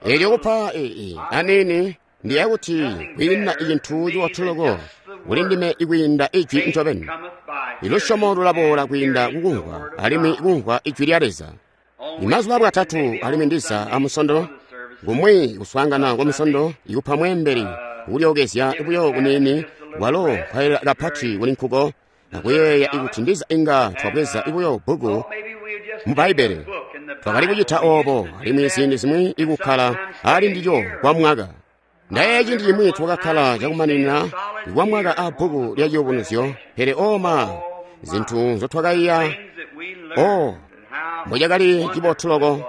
Elyo kupa aniini ndiya kuti kwiina icintu cibotu loko kuli ndime ikwiinda ijwi ncobeni. Ilusyomo lulaboola kwiinda kukumvwa, alimwi kumvwa ijwi lya Leza. Imazuba Bwatatu alimwi ndiza amusondo, kumwi kuswaangana kwa musondo ikupa mweembeli kulyookezya buyo kuniini, walo nkwayelela kapati kuli nkuko, akuyeeya ikuti ndiza inga twabweza buyo bbuku mu Bbaibbele. Twakali kucita oobo alimwi ziindi zimwi ikukkala ali ndilyo kwa mwaka. Ndayeeya ciindi cimwi twakakkala cakumaninina kwa mwaka a bbuku lya Ciyubunuzyo, pele oma zintu nzotwakaiya, o mbocakali cibotu loko.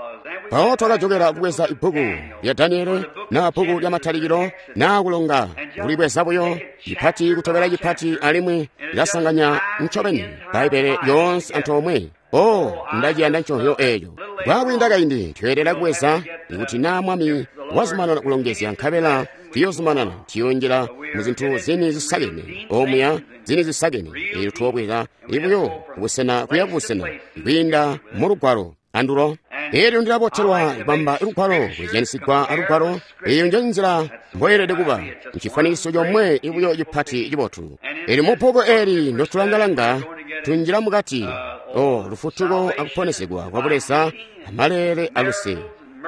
Mpawo twakajokela kubweza ibbuku lya Daniele na bbuku lya Matalikilo na kulonga kulibweza buyo cipati kutobela cipati, alimwi lilasanganya ncobeni Bbaibbele lyoonse antoomwe. O, ndaciyanda nconzyo eeco. Kwakwiinda kaindi tweelela kubweza ikuti naa Mwami wazumanana kulongezya, nkabela tuyozumanana tuyonjela mu zintu zini zisakene omuya zini zisakene. Eelyo tuyoobweza ibuyo kubusena kuya kubusena kwiinda mu lugwalo andulo. Eelyo ndilabotelwa kubamba lugwalo kwezyanisigwa alugwalo. Eyo nje nzila mboyelede kuba, ncifwanikiso comwe ibuyo cipati cibotu. Eelyo mu bbuku eli ndotulangalanga tunjila mukati o lufutuko akuponesegwa kwa Buleza, amalele aluse,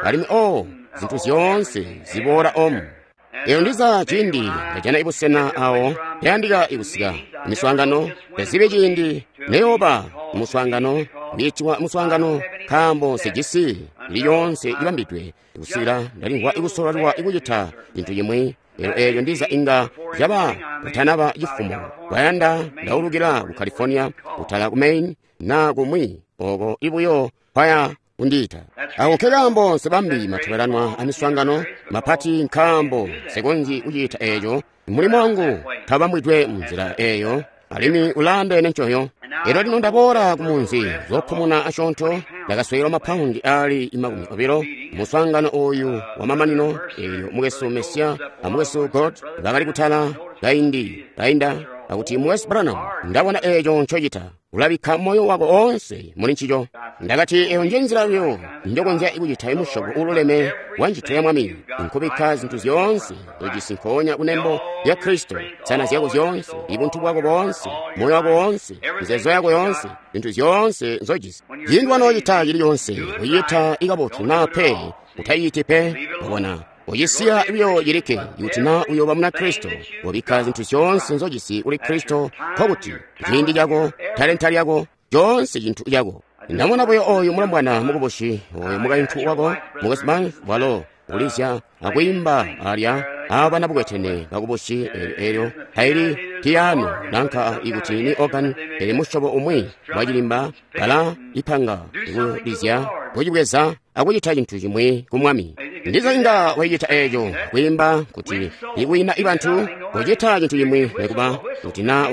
alimwi o zintu zyoonse ziboola omu. Eyo ndiza ciindi ndajana ibusena awo yandika ikusika miswaangano, ndazibe ciindi neyooba muswaangano kwiitiwa muswaangano, nkaambo nsijisi ili yoonse ibambidwe kusikila ndalimvwa ikusololelwa ikucita cintu cimwi. Elyo eeyo ndiza inga caba kutanaba cifumo kwayanda ndaulukila ku California, kutala ku Maine na kumwi oko ibuyo kwaya kundiita. Ako nkekaambo nsebambi matobelanwa amiswaangano mapati, nkaambo nsekonzyi kucita eeco. Mulimo wangu tabambwidwe munzila eeyo, alimwi ulaandeene ncoyo. Elyo lino ndaboola ku munzi zophumuna asyoonto, ndakaswekela mapaundi aali 20 muswaangano oyu wamamanino. Eelyo mukwesu Mesiya a mukwesu God bakali kutala kaindi kainda akuti, Mukwesu Branham, ndabona eeco ncocita, ulabikka moyo wako oonse muli ncico. Ndakati, eyo nje nzila yo njokonzya kucita imusyobo uululeme wa ncito ya Mwami, nkubikka zintu zyoonse ujisi nkoonya kunembo lya Kristo, nsana zyako zyoonse, ibuntu bwako boonse, moyo wako woonse, mizeezo yako yoonse, zintu zyoonse nzojisi. Ciindi wanoocita cili coonse, ucita ikabotu naa pe, utayiti pe, wabona. Ucisiya buyo cilikke kuti naa uyooba muna Kristo, wabikka zintu zyoonse nzojisi kuli Kristo, nkokuti ciindi cako, talenta lyako, coonse cintu cako. Ndamona buyo oyu mulombwana mukubusi, oyu mukaintu wako, mukwesu Banks, walo kulizya akwiimba alya abana bukwetene bakubusi. Eelyo taili piyano nanka ikuti ni organ, pele musyobo umwi wacilimba, bala ipanga kulizya, kucibweza akucita cintu cimwi ku Mwami. Ndiza inga waicita eeco kwiimba kuti ikwiina ibantu kucita cintu cimwi, nekuba kuti naa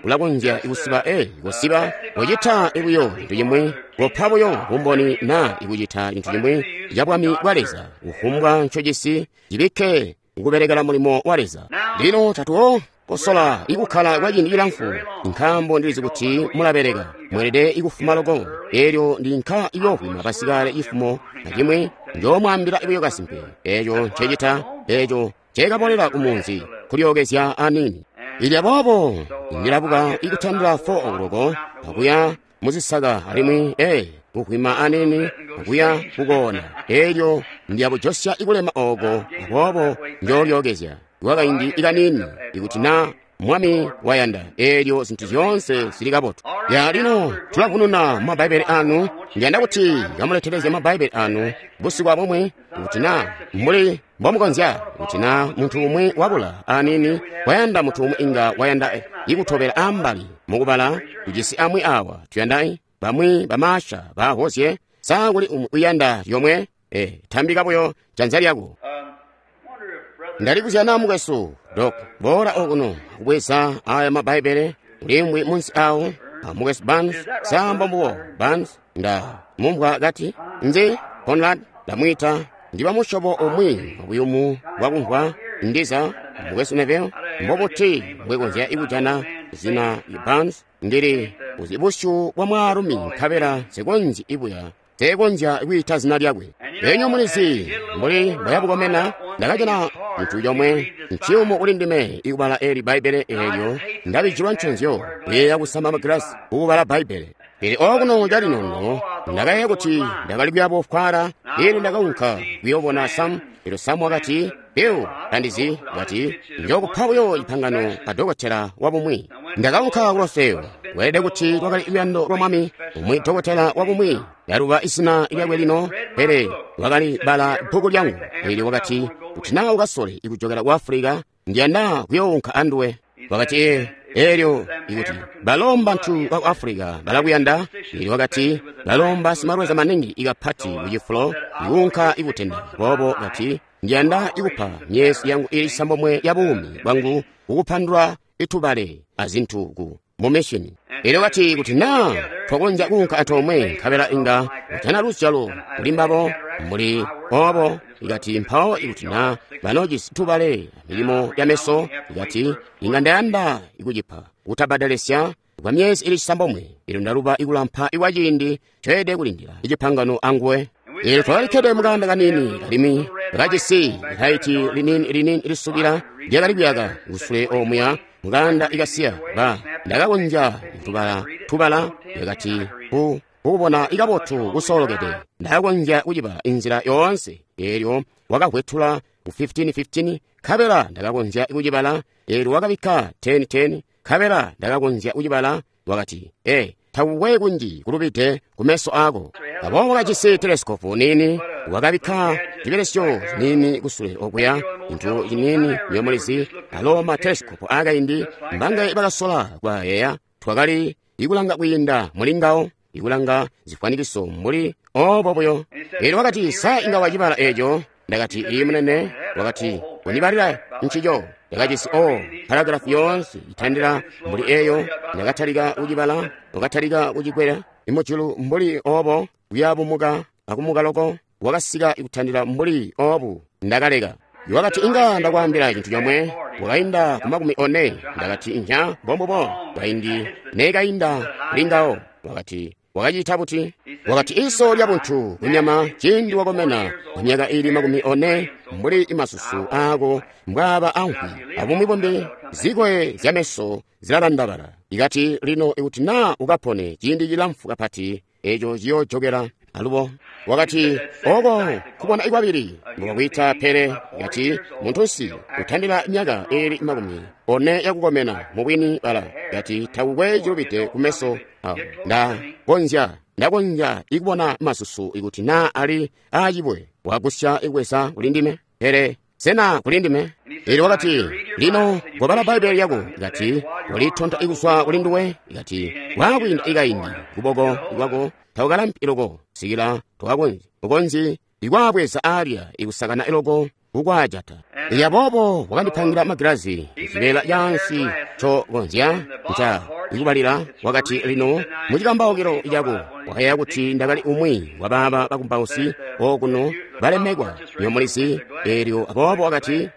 ulakonzya kusiba kusiba kucita buyo cintu cimwi, kupa buyo bumboni naa ikucita cintu cimwi ca bwami bwa Leza. Kufumbwa ncojisi cibikke kubelekela mulimo wa Leza. Lino tatuwo kosola ikukkala kwa ciindi cilamfu, nkaambo ndilizi kuti mulabeleka, mweelede ikufuma loko. Eelyo ndinka iyoovwima basikale cifumo acimwi, njoomwaambila buyo kasimpe eeco ncecita, eeco ncekabolela ku munzi kulyookezya aniini. Ili aboobo ndilabuka ikutandila 4 o'clock akuya muzisaka, alimwi kuvwima aniini akuya kukoona. Eelyo ndiyabujosya ikulema ooko, aboobo njoolyookezya kwakaindi ikaniini ikuti naa Mwami wayanda. Eelyo zintu zyoonse zili kabotu. Ya lino tulavununa mu Mabaibbele anu. Ndiyanda kuti kamuletelezye Mabaibbele anu busiku abumwi, kuti naa mbuli mbomukonzya, kuti naa muntu umwi wabula aniini wayanda, muntu umwi inga wayanda ikutobela ambali mukubala. Tujisi amwi awa tuyanda bamwi bamaasha bahozye. Sa kuli umwi uyanda lyomwe? Tambika buyo janza lyako. Ndalikuzya naa mukwesu Dok, boola okuno kubweza aya Mabaibbele ulimwi munsi awo mukwesu Barnes. Sambo mbubo Barnes, nda mumvwa kati nzi Conrad ndamwita, ndiba musyobo umwi wabuyumu bwakumvwa. Ndiza mukwesu Neville, mbobuti mbwekonzya ikujana zina Barnes? Ndili uzi busyu bwa mwaalumi nkabela nsekonzyi ibuya, nsekonzya kwiita zina lyakwe. Elyo mulizi mbuli mboyabukomena, ndakajana cintu comwe nciyumu kuli ndime ikubala eli Bbaibbele eelyo ndabijilwa nconzyo kuyeeya kusama magilasi kukubala Bbaibbele. Pele okuno calino ndakayeeya kuti ndakali kuyaabufwala, eelyo ndakaunka kuyoobona Sam. Elyo Sam wakati, Bill, tandizi, kati, njookupa buyo cipangano a dokotela wabumwi. Ndakaunka ku Rossville. Kweelede kuti lwakali luyando lwa Mwami, umwi dokotela wabumwi. Ndaluba izina lyakwe lino, pele wakali bala bbuku lyangu. Eelyo wakati, kuti naa ukasole ikujokela ku Africa, ndiyanda kuyounka anduwe. Wakati, eelyo ikuti balo mbantu baku Africa balakuyanda. Eelyo wakati, balo mbasimalweza maningi ikapati kucifulo ikuunka ikutenda. Boobo kati, ndiyanda ikupa myezi yangu ili 9 ya buumi bwangu kukupandula itubale azintu ku mumishini. Eelyo kati, kuti naa twakonzya kuunka antoomwe nkabela inga kujana luzyalo kuli mbabo mbuli obo. Ikati mpawo ikuti naa banojisi tubale milimo ya meso, ikati inga ndayanda ikucipa kutabadalesya kwa myezi ili 9. Eelyo ndaluba ikulampa ikwa ciindi ncoyelede kulindila icipangano anguwe. Eelyo twakalikkede mukanda kanini alimwi kajisi laiti liniini lisubila lyakali kuyaka kusule omuya mukanda ikasiya. Ba ndakakonzya tubala yakati kukubona ikabotu kusoolokede. Ndakakonzya kuciba inzila yoonse. Eelyo wakavwetula ku 15:15 nkabela ndakakonzya kucibala. Eelyo wakabikka 10:10 nkabela ndakakonzya kucibala. Wakati, takukwe kunji kulubide kumeso ako. Aboobo wakajisi telesikopu nini, wakabikka cibelesyo nini kusule okuya, cintu cinini nyomulizi. Alo ma telesikopu akaindi mbangaye bakasola kwayeeya, twakali ikulanga kwiinda muli ngawo, ikulanga zifwanikiso mbuli obo buyo. Eelyo wakati, sa inga wacibala eeco? Ndakati, iyi munene. Wakati, undibalila ncico. Ndakajisi paragrafu yoonse itandila mbuli eyo. Ndakatalika kucibala, wakatalika kucikwela imujulu mbuli obo, kuyabumuka akumuka loko, wakasika ikutandila mbuli obu. Ndakaleka. Wakati, inga ndakwaambila cintu comwe. Wakainda ku 40. Ndakati, inya mbombubo. Kaindi nekainda kuli ngawo. Wakati, wakacita buti? Wakati, iso lya buntu kunyama ciindi wakomena kwa myaka ili 40 mbuli imasusu aako mbwaaba amvwi abumwi bumbi, zikoye zya meso zilalandabala. Ikati lino ikuti naa ukapone ciindi cilamfu kapati, eeco ciyoojokela alubo. Wakati, oko kubona ikwabili mbwakwita, pele kati muntunsi utandila myaka ili 40 yakukomena mubwini bala. Kati takukwe cilubide kumeso awo. Ndakonzya ikubona masusu ikuti naa ali aacibwe wagusya ikweza kuli ndime, pele sena kuli ndime? Eelyo wakati, lino kobala Bbaibbele lyako. Ikati walitonta ikuswa kuli nduwe. Ikati waakwiinda ikaindi kuboko kwako takukalampi loko sikila ukonzyi ikwaabweza aalya ikusakana iloko kukwaajata. Elyo aboobo wakandipangira magilazi cibeela caansi ncokonzya nca ikubalila. Wakati, lino mucikambaukilo cako wakayeeya kuti ndakali umwi wabaaba bakumbausi okuno balemekwa nyomulizi. Eelyo aboobo wakati,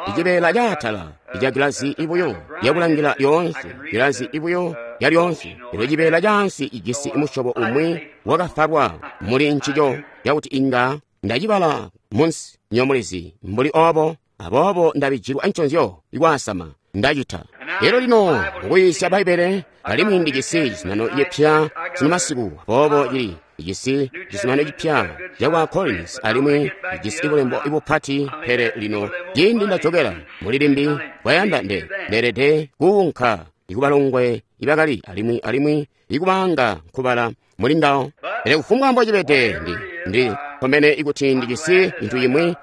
icibeela caatala ica gilazi ibuyo lyakulangila lyoonse, gilazi ibuyo lyalyonse. Elyo cibeela caansi ijisi musyobo umwi wakafalwa muli ncico cakuti inga ndacibala munsi nyomulizi mbuli obo. Aboobo ndabijilwa nconzyo ikwaasama ndacita. Elyo lino mukuyiisya Bbaibbele, alimwi ndijisi cizuminano cipya sunu masiku. Aboobo cili ijisi cizuminano cipya cakwa Collins, alimwi ijisi bulembo ibupati. Pele lino ciindi ndajokela muli limbi kwayanda ndeelede kuunka ikubalongwe ibakali alimwi ikubanga nkubala muli ngawo. Pele kufumbwa mbocibede ndi komene ikuti ndijisi cintu cimwi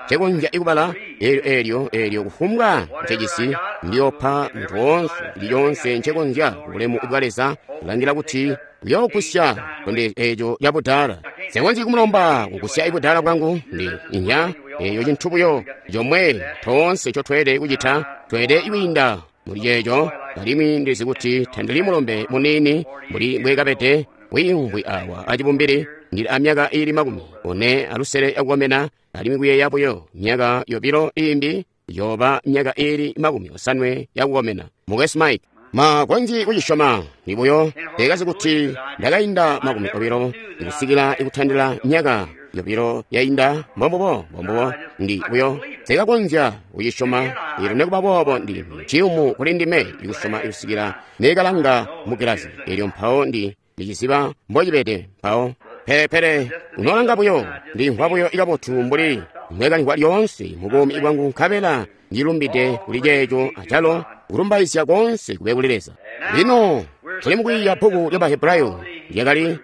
ncekonzya ikubala. Eelyo kufumbwa ncejisi ndiyoopa muntu woonse lyoonse ncekonzya kubulemu bwa Leza, kulangila kuti uyoogusya tonde eeco cabudala. Nsekonzyi kumulomba kugusya ibudala bwangu. Ndi inya eeyo cintu buyo comwe toonse ncotweelede kucita, tweelede kwiinda muli ceeco. Alimwi ndizi kuti tandili mulombe muniini mbuli mbwekabede wiimvwi awa acibumbili. Ndili amyaka ili 46 yakukomena, alimwi kuyeeya buyo myaka 2 iimbi yoba myaka ili 80 yakukomena. Mukwesu Mike, makonzyi kucisyoma nibuyo ndekazi kuti ndakainda 20 kusikila ikutandila myaka yobilo yainda. Mbombubo, mbombubo. Ndi buyo sikakonzya kucisyoma. Elyo nekubaboobo ndi ciyumu kuli ndime ikusyoma kusikila nekalanga mu gilazi. Elyo mpawo ndi ndiciziba mbocibede mpawo. Pele unolanga buyo, ndimvwa buyo ikabotu mbuli mbwekalimvwa lyoonse mu buumi bwangu, nkabela ndilumbide kuli ceeco acalo kulumbaizya koonse kube kuli Leza. Lino tuli mukwiiya bbuku lya Bahebrayo lyakali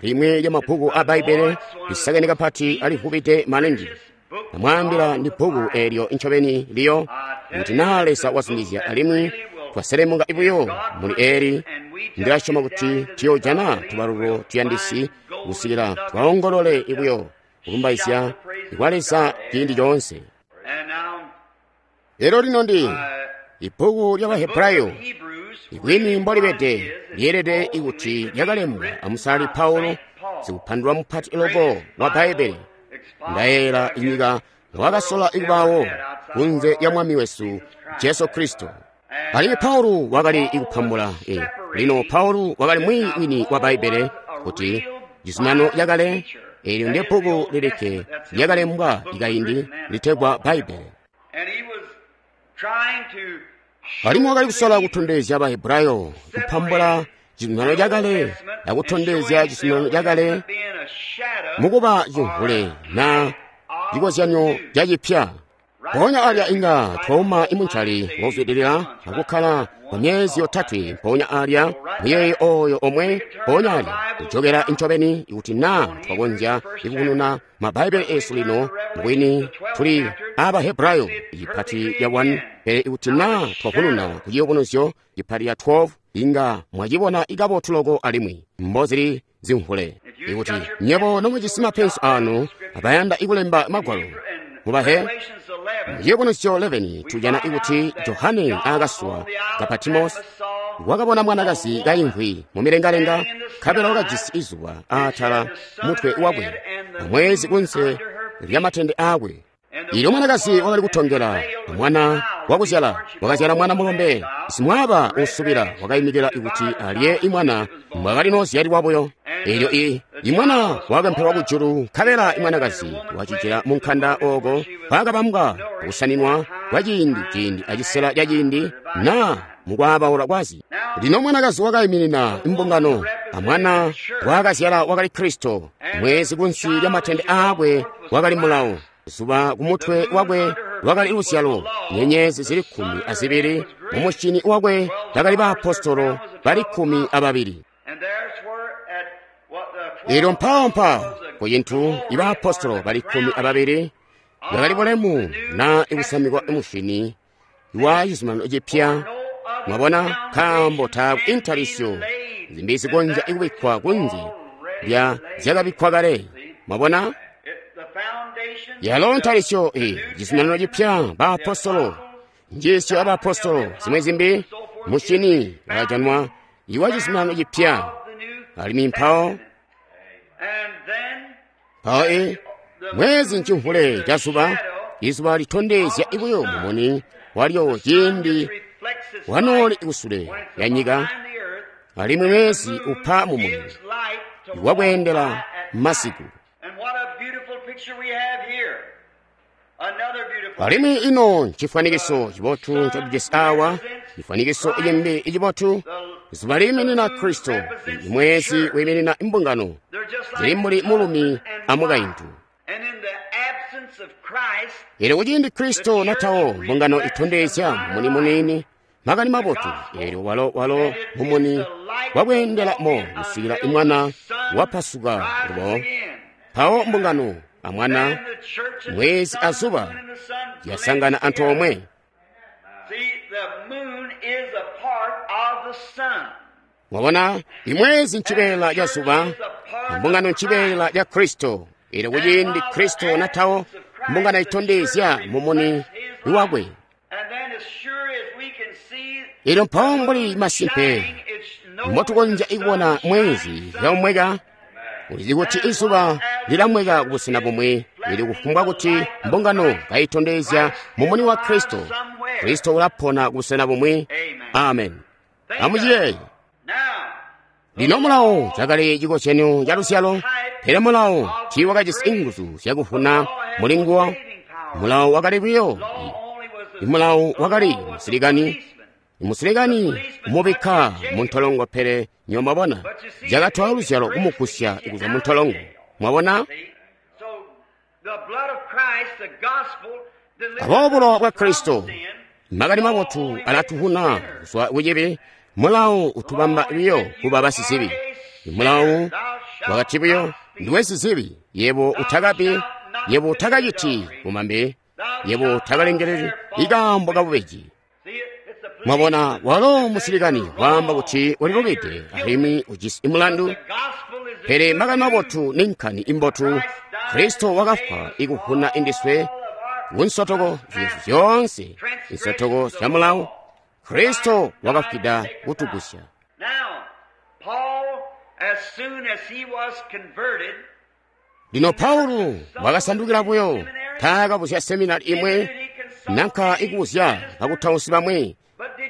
limwe lya mabbuku a Bbaibbele lisakene kapati alivubide maningi. Namwaambila ndi bbuku eelyo ncobeni liyo kuti naa Leza wazumizya alimwi twaselemuka buyo muli eeli, ndilasyoma kuti tuyoojana tubalulu tuyandisi kusikila twaongolole buyo kulumbaizya kwa Leza ciindi coonse. Lero lino ndi ibbuku lya Bahebrayo ikwini mbolibede lyeelede ikuti lyakalembwa amusali Paulo, sikupandulula mupati loko wa Bbaibbele. Ndayeeyela inyika wakasola ikubawo kunze ya Mwami wesu Jesu Kristo. Alimwi Paulo wakali ikupambula. Lino Paulo wakali mwiiyi wini wa Bbaibbele kuti cizuminano cakale eelyo ndi bbuku lilikke lyakalembwa ikaindi litegwa Bbaibbele. Alimwi wakali kusola kutondezya Bahebrayo kupambula cizuminano cakale akutondezya cizuminano cakale mukuba cimvule na cikozyanyo cacipya. Mpoonya alya inga twauma imuncali wozwidilila akukkala kwa myezi yotatwe. Mpoonya alya muyeeyo oyo omwe, mpoonya alya kujokera ncobeni ikuti naa twakonzya ikukununa mabhaibele esu lino mbwini tuli Abahebrayo ipati ya 1, pele ikuti naa twakununa ku ciyubunuzyo ipati ya 12 inga mwacibona ikabotu loko alimwi mbozili zimvule. Ikuti nyebo nomujisi mapenso anu abayanda ikulemba magwalo mubahe Ciyubunuzyo 11 tujana ikuti Johane aakaswa ka Patimosi wakabona mwanakazi kayimvwi mu milengalenga, nkabela wakajisi izuba aatala mutwe wakwe amwezi kunze lyamatende aakwe. Ilyo mwanakazi wakali kutongela mwana wakuzyala, wakazyala mwana mulombe simwaaba usubila wakayimikila ikuti alye imwana mbwakali nozyalilwa buyo. Elyo imwana wakempelwa kujulu, nkabela imwanakazi wacijila mu nkanda ooko kwakabambwa kusaninwa kwa ciindi ciindi acisela ca ciindi na mukwaabaula kwazi. Lino mwanakazi wakayiminina imbungano, amwana wakazyala wakali Kristo. Mwezi kunsi lya matende aakwe wakali mulawo, zuba kumutwe wakwe lwakali luzyalo, nyenyezi zili 12 mumushini wakwe bakali baapostolo bali 12. Elyo mpawo ku cintu ibaapostolo bali 12 bakali bulemu na ikusamikwa mushini wa cizuminano cipya. Mwabona, nkaambo taaku intalisyo zimbi zikonzya ikubikkwa kunze lya zyakabikkwa kale. Mwabona, yalo ntalisyo cizuminano cipya, baapostolo, njiisyo abaapostolo, zimwe zimbi mushini wakajanwa iwa cizuminano cipya. Alimwi mpawo mwezi ncimvule ca zuba, izuba litondezya ibuyo mumuni walyo ciindi wanooli kusule ya nyika, alimwi mwezi upa mumuni wakweendela masiku. Alimwi ino ncifwanikiso cibotu ncotujisi awa, cifwanikiso cimbi icibotu. Zuba liiminina Kristo, mwezi wiiminina imbungano, zili mbuli mulumi amukaintu. Elyo kuciindi Kristo natawo, mbungano itondezya mumuni muniini, makani mabotu. Elyo walo mumuni wakweendela mo kusikila imwana wapasuka lubo. Mpawo mbungano amwana, mwezi azuba yasangana antoomwe. Mwabona, imwezi ncibeela ca zuba, mbungano ncibeela ca Kristo. Elyo kuciindi Kristo natawo, mbungano itondezya mumuni wakwe. Elyo mpawo mbuli masimpe mbotukonzya ikubona mwezi yaumweka, ulizi kuti izuba lilamweka kubusena bumwi. Ili kufumbwa kuti mbungano kayitondezya mumuni wa Kristo, Kristo ulapona kubusena bumwi. Amen. Amuciyeeye. Lino mulawo cakali cikozyanyo ca luzyalo, pele mulawo tiiwakajisi nguzu zyakuvuna mulinguwo. Mulawo wakali buyo mulawo wakali musilikani, musilikani kumubikka muntolongo, pele nywebo mwabona cakatola luzyalo kumugusya kuzwa muntolongo. Mwabona? Aboobo bulowa bwa Kristo, makani mabotu alatuvuna kuzwa kucibi. Mulawo utubamba buyo kuba basizibi. Mulawo wakati buyo, ndiwe sizibi, yebo utakabi, yebo utakaciti bumambe, yebo utakalengeleli ikaambo kabubeji. Mwabona, walo musilikani waamba kuti ulilubide alimwi ujisi mulandu, pele makani mabotu ninkani imbotu. Kristo wakafwa ikuvuna indiswe kunsotoko zyesu zyoonse, insotoko zya mulawo. Kristo wakafwida kutugusya. Lino Paulo wakasandukila buyo, taakabuzya seminari imwe nanka ikubuzya bakutausi bamwi,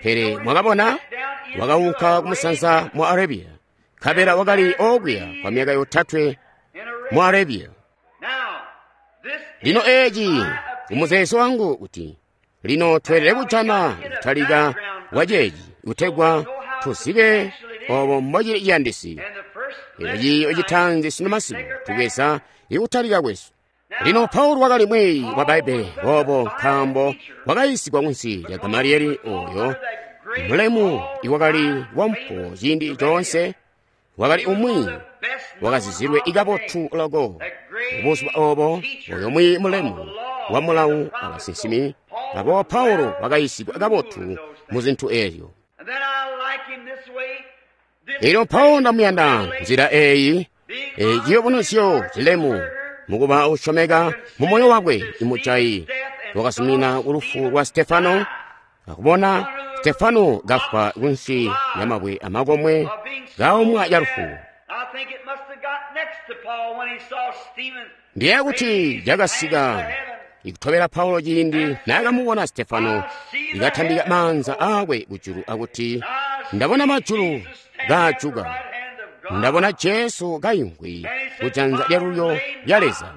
pele mwakabona wakaunka kumusanza mu Arabia, nkabela wakali okuya kwa myaka 3 mu Arabia. Lino eeci umuzeezo wangu kuti lino tweelede kujana kutalika kwa ceeci kutegwa tuzibe obo mbocili ciyandisi. Elyo ciiyo citaanzi sino masiku tubweza ikutalika kwesu. Lino Paulo wakali mwiiyi wa Bbaibbele boobo nkaambo wakayiisigwa kunsi lya Gamaliyeli oyo mulemu iwakali wampuwo ciindi coonse, wakali umwi wakazizilwe ikabotu loko. Mubuzuba obo oyo mwiiyi mulemu wa mulawu abasinsimi, aboobo Paulo wakayiisigwa kabotu mu zintu ezyo. Lino Paulo ndamuyanda nzila eeyi, ciyubunuzyo cilemu mukuba usyomeka mu moyo wakwe imujayi wakazumina kulufu lwa Stefano, akubona Stefano kafwa kunsi ya mabwe amakomwe kaomwa ya lufu. Ndiye kuti cakasika ikutobela Paulo ciindi naakamubona Stefano ikatambika maanza aakwe kujulu akuti, ndabona majulu kaajuka, ndabona Jesu kayimvwi kujanza lyalulyo lya Leza.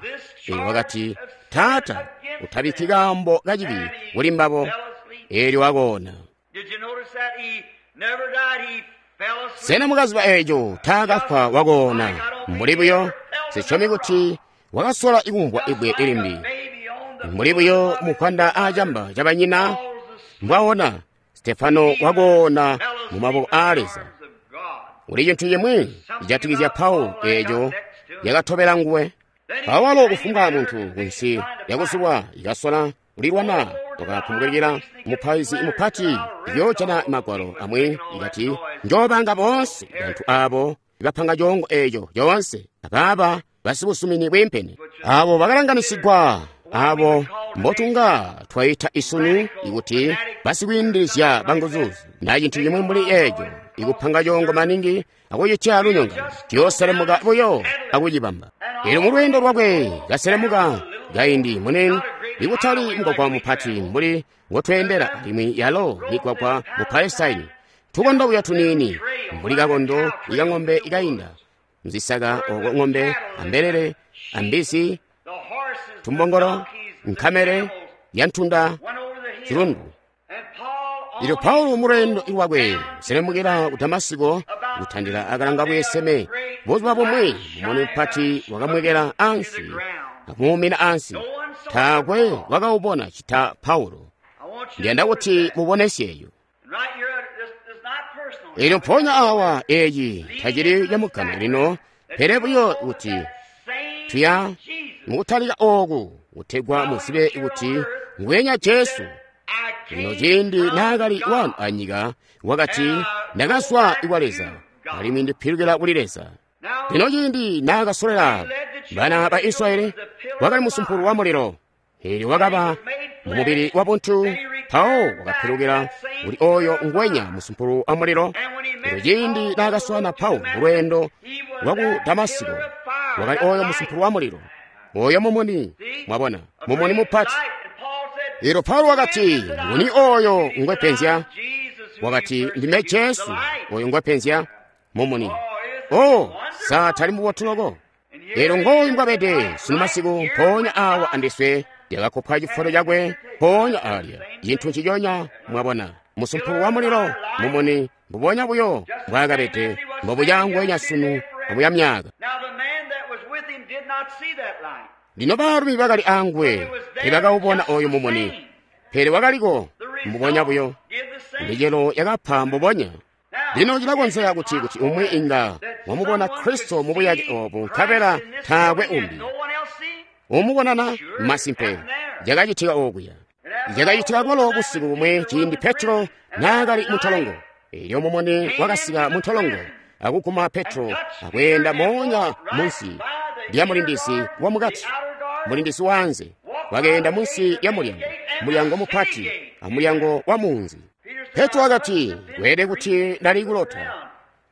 Eelyo wakati, Taata, utabikki kaambo kacibi kuli mbabo. Eelyo wakoona. Sena mukaziba eeco taakafwa wakoona? Mbuli buyo sisyomi kuti wakasola ikumvwa ibwe ilimbi. Mbuli buyo mukwanda aacamba cabanyina mbwaona, Stefano wakoona mu maboko aa Leza. Kuli cintu cimwi cijatikizya Paulo eeco yakatobela nguwe. Awalo kufumbwa muntu kunsi lyakuzulwa ikasola kulilwana wakapumulikila mupaizi mupati yoojana magwalo amwi ikati, njoobanga boonse bantu aabo ibapanga coongo eeco coonse abaaba basibusumini bwiimpene abo bakalanganisigwa abo mbotunga twaita isunu ikuti basikwiindilizya banguzuzi na cintu cimwi mbuli eeco ikupanga coongo maningi akucitya lunyongano ciyooselemuka buyo akucibamba. Eelyo mu lweendo lwakwe kaselemuka kaindi munene ikutali mugwagwa mupati mbuli ngotweendela alimwi yalo migwagwa mu Palestine, tukondo buyo tuniini mbuli kakondo ikang'ombe ikainda mzisaka oko ng'ombe ambelele ambizi tumbongolo nkamele yantunda chilundu. Ilyo Paulo mulwendo lwakwe kuselemukira ku Damasiko kutandila akalanga bweseme, buzuba bumwe mumuni mupati wakamwekela ansi akumuumina ansi. Taakwe wakawubona chita Paulo. Ndiyanda kuti mubonesyeyo. Elyo mpoonya awa eeci tacili camugame lino, pele buyo kuti tuya mukutalika ooku kutegwa muzibe kuti ngwenya Jesu. Lino ciindi naakali wano anyika wakati, ndakazwa kwa Leza alimwi ndipilukila kuli Leza. Lino ciindi naakasolela bana ba Israyeli wakali musumpulu wa mulilo, eelyo wakaba mumubili wa buntu, mpawo wakapilukila kuli oyo ngwenya musumpulu wa mulilo. Elyo ciindi naakaswaana Paulo mulweendo lwaku Damasiko wakali oyo musumpulu wa mulilo, oyo mumuni, mwabona, mumuni mupati. Elyo Paulo wakati, nguni oyo ngwepenzya? Wakati, ndime Jesu oyo ngwepenzya. Mumuni. O, sa tali mubotu loko? Elyo ngooyu mbwabede sunu masiku, mpoonya awa andiswe, lyakakopwa cifoto cakwe mpoonya alya. Cintu nciconya, mwabona, musumpulo wa mulilo, mumuni, mbubonya buyo mbwaakabede, mbobuya ngwenya sunu amuya myaka. Lino baalumi bakali anguwe teebakawubona oyo mumuni, pele wakaliko mbubonya buyo. Micelo yakapa mbubonya. Lino cilakonzeka kuti kuti umwi inga wamubona Kristo mu buyake obu, nkabela taakwe umbi. Umubonana masimpe, cakacitika okuya. Cakacitika kwalo busiku bumwe ciindi Petro naakali muntolongo. Elyo mumuni wakasika muntolongo akuguma Petro akweenda moonya munsi lya mulindizi wamukati, mulindizi waanze. Wakeenda munsi lya mulyango, mulyango mupati amulyango wa munzi. Petro wakati, kweelede kuti ndali kulota.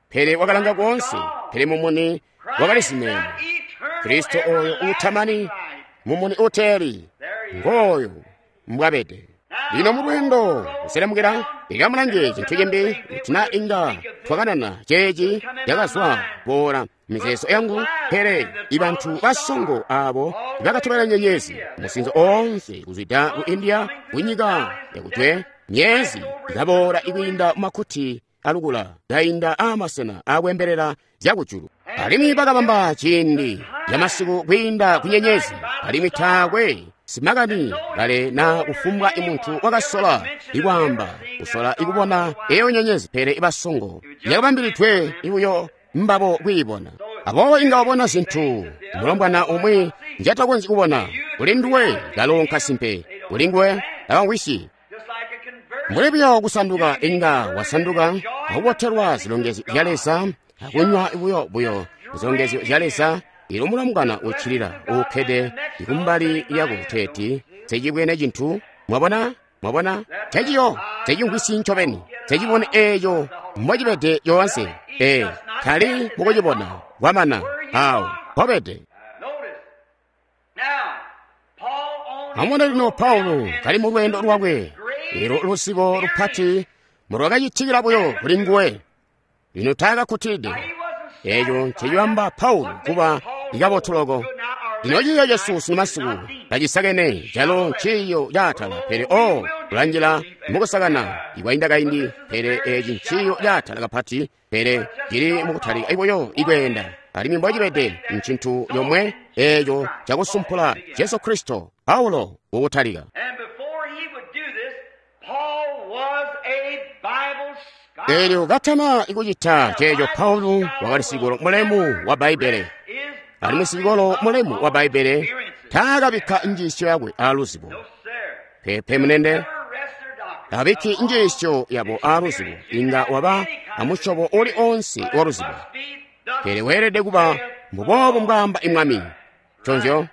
Pele wakalanga koonse, pele mumuni wakalizimene. Kristo oyo uutamani, mumuni uteeli, ngooyo mbwabede. Lino mulweendo kuselemukila, ikamulange cintu cimbi, kuti na inga twakanana ceeci cakazwa boola mizeezo yangu, pele ibantu basongo abo bakatobela nyenyezi musinzo oonse kuzwida ku India, kunyika yakujwe, myezi ikaboola ikwiinda mumakuti alukula, kainda aamasena akwembelela zyakujulu. Alimwi bakabamba ciindi camasiku kwiinda ku nyenyezi, alimwi taakwe simakani kale na kufumbwa imuntu wakasola ikwaamba kusola ikubona eyo nyenyezi, pele ibasongo yakabambilidwe ibuyo mbabo kwiibona. Aboobo inga wabona zintu mulombwana umwi njatakonzyi kubona. Kuli nduwe kalo nkasimpe, kuli nguwe takamvwisyi. Mbuli buyo kusanduka, inga wasanduka akubotelwa zilongezyo zya Leza, akunywa buyo buyo zilongezyo zya Leza. Ilo mulombwana uccilila uukkede kumbali lyako kuteeti nsecibwene cintu. Mwabona? Mwabona? Nceciyo, ncecimvwisyi ncobeni, ncecibone eeco mbocibede yoonse. Ee, tali mukucibona kwamana awo mpobede. Amubone lino Paulo kali mu lweendo lwakwe, elo luzibo lupati mulwakacitikila buyo kuli nguwe. Lino taakakkutilide. Eeco ncecibamba Paulo kuba ikabotu loko. Lino ciiyo cesu sunu masiku tacisakene, calo nciiyo caatala, pele o kulanjila mukusakana ikwainda kaindi, pele eci nciiyo caatala kapati, pele cili mukutalika buyo ikweenda. Alimwi mbocibede ncintu yomwe eeco cakusumpula Jesu Kristo. Paulo kukutalika. Eelyo katana ikucita ceeco, Paulo wakali sikolo mulemu wa Bbaibbele. Alimwi sikolo mulemu wa Bbaibbele taakabikka njiisyo yakwe aaluzibo. Peepe munende, tabikki njiisyo yabo aaluzibo, inga waba amusyobo uli oonse wa luzibo. Pele weelede kuba mbuboobo mbwaamba imwami. Nconzyo.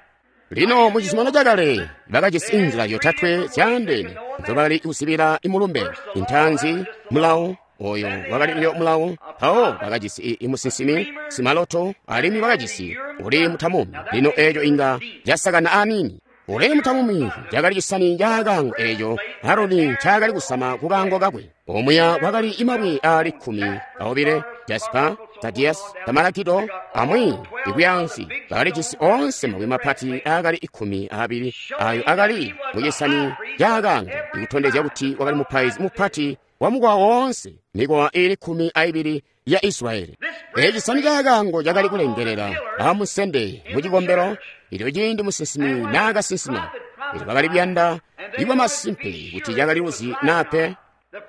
Lino mu Cizuminano Cakale bakajisi inzila zyotatwe zyaandeene nzobakali kusibila imulumbe. Intaanzi, mulawo, oyo wakali buyo mulawo. Mpawo bakajisi imusinsimi, simaloto, alimwi bakajisi uli mutamumi. Lino eeco inga casakana aniini. Uli mutamumi cakali cisani caakaango eeco Aroni ncaakali kusama kukaango kakwe. Omuya kwakali imabwe aali 12, jasipa, tadias, tamalakido, amwi ikuyaansi. Bakalijisi oonse mabwe mapati aakali 12 ayo akali mucisani caakaango, ikutondezya kuti wakali mupaizi mupati wa mukowa woonse, mikowa iili 12 ya Israyeli. Eeci cisani caakaango cakali kulengelela amusende mucikombelo ilyo ciindi musinsimi naakasinsima. Elyo bakali kuyanda ibwa masimpe kuti cakali luzi naa pe.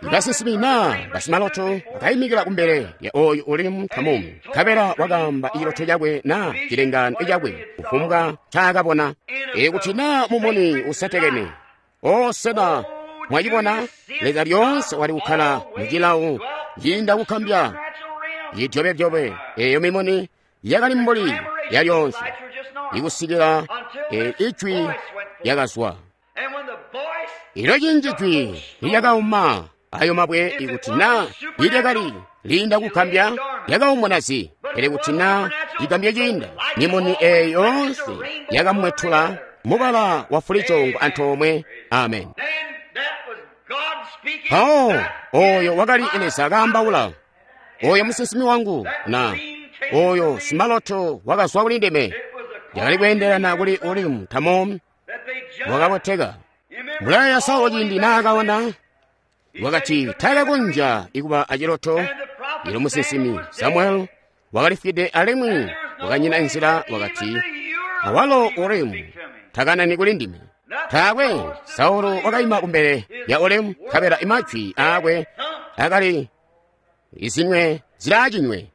Basinsimi naa basimaloto bakaimikila kumbele lya oyu uli mutamumi, nkabela wakaamba iciloto cakwe naa cilengaano cakwe kufumbwa ncaakabona. Ikuti naa mumuni usetekene, o sena mwacibona? Leza lyoonse wali kukkala mucilawo ciinda kukambya cidyobedyobe. Eeyo mimuni yakali mbuli yalyoonse ikusikila ijwi lyakazwa. Ilo cinji jwi nilyakauma ayo mabwe, ikuti naa nilyakali liinda kukambya, lyakaumuna zi. Pele kuti naa cikambya ciinda, mimuni eeyo yoonse yakamwetula mubala wa fulicoongo antoomwe. Amen. Mpawo oyo wakali Leza kaambaula, oyo musinsimi wangu na Oyo simaloto wakazwa kuli ndime. Yakali kweendelana kuli Urimu Tamumu wakaboteka. Mulaya Saulo ciindi naakabona, wakati taakakonzya ikuba aciloto. Ilo musinsimi Samuel wakalifwide alimwi wakanyina nzila, wakati awalo Urimu takanani kuli ndime. Taakwe. Saulo wakaima kumbele ya Urimu, nkabela imajwi aakwe akali izinywe zilaacinywe.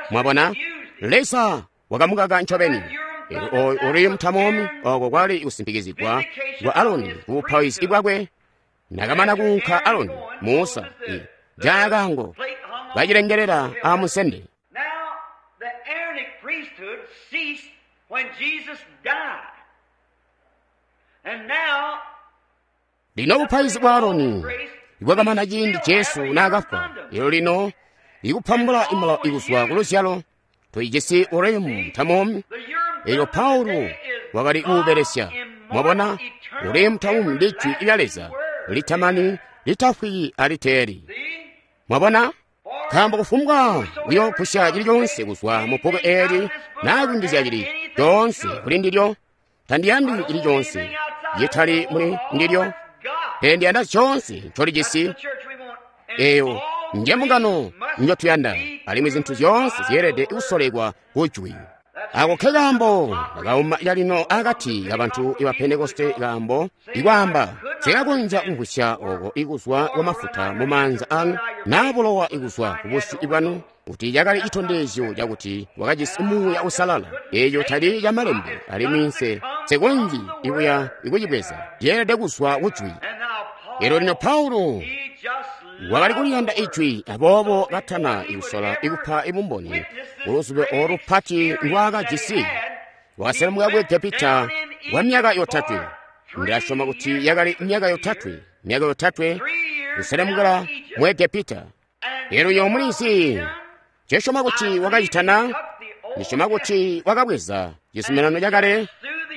Mwabona, Leza wakamukaka ncobeni. Elyo Urimu Tamumu oko kwali kusimpikizigwa kwa Aroni ku bupaizi bwakwe. Nakamana kuunka Aroni, Musa jaakango kacilengelela amusende. Lino bupaizi bwa Aroni bwakamana ciindi Jesu naakafwa. Elyo lino ikupambula imulawo ikuzwa ku luzyalo tuyijisi Urimu Tamumu. Elyo Paulo wakali kuubelesya. Mwabona, Urimu Tamumu ndi Jwi lya Leza litamani, litafwi aliteeli. Mwabona, nkaambo kufumbwa uyoogusya cili coonse kuzwa mu bbuku eeli naa kuyungizya cili coonse kuli ndilyo, tandiyandi cili coonse citali muli ndilyo, pele ndiyanda coonse ncolijisi. Eyo nje mbungano njotuyanda, alimwi zintu zyoonse zyeelede kusolekwa kujwi. Ako ke kaambo kauma calino akati kabantu iba Pentekoste, kaambo ikwaamba sikakonzya kumvwisya oko ikuzwa kwa mafuta mu maanza anu naa bulowa ikuzwa ku busyu bwanu, kuti cakali citondezyo cakuti wakajisi Muuya Uusalala. Eeco tali ca malembe, alimwi nse nsekonzyi ikuya ikucibweza, ceelede kuzwa kujwi. Elyo lino Paulo wakali kuliyanda ijwi, aboobo katana ikusola ikupa ibumboni kuluzubo olupati ndwaakajisi, wakaselemuka ku Egepita kwa myaka yotatwe. Ndilasyoma kuti yakali myaka yotatwe, myaka yotatwe kuselemukila mu Egepita. Elyo mulizi ncesyoma kuti wakacitana, ndisyoma kuti wakabweza cizuminano cakale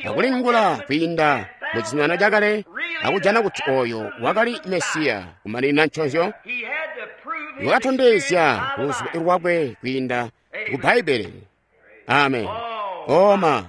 akulingula kwiinda mu cizuminano cakale akujana kuti oyo wakali Mesiya kumaninina nconzyo. Wakatondezya luzubo lwakwe kwiinda ku Bbaibbele. Amen. Oma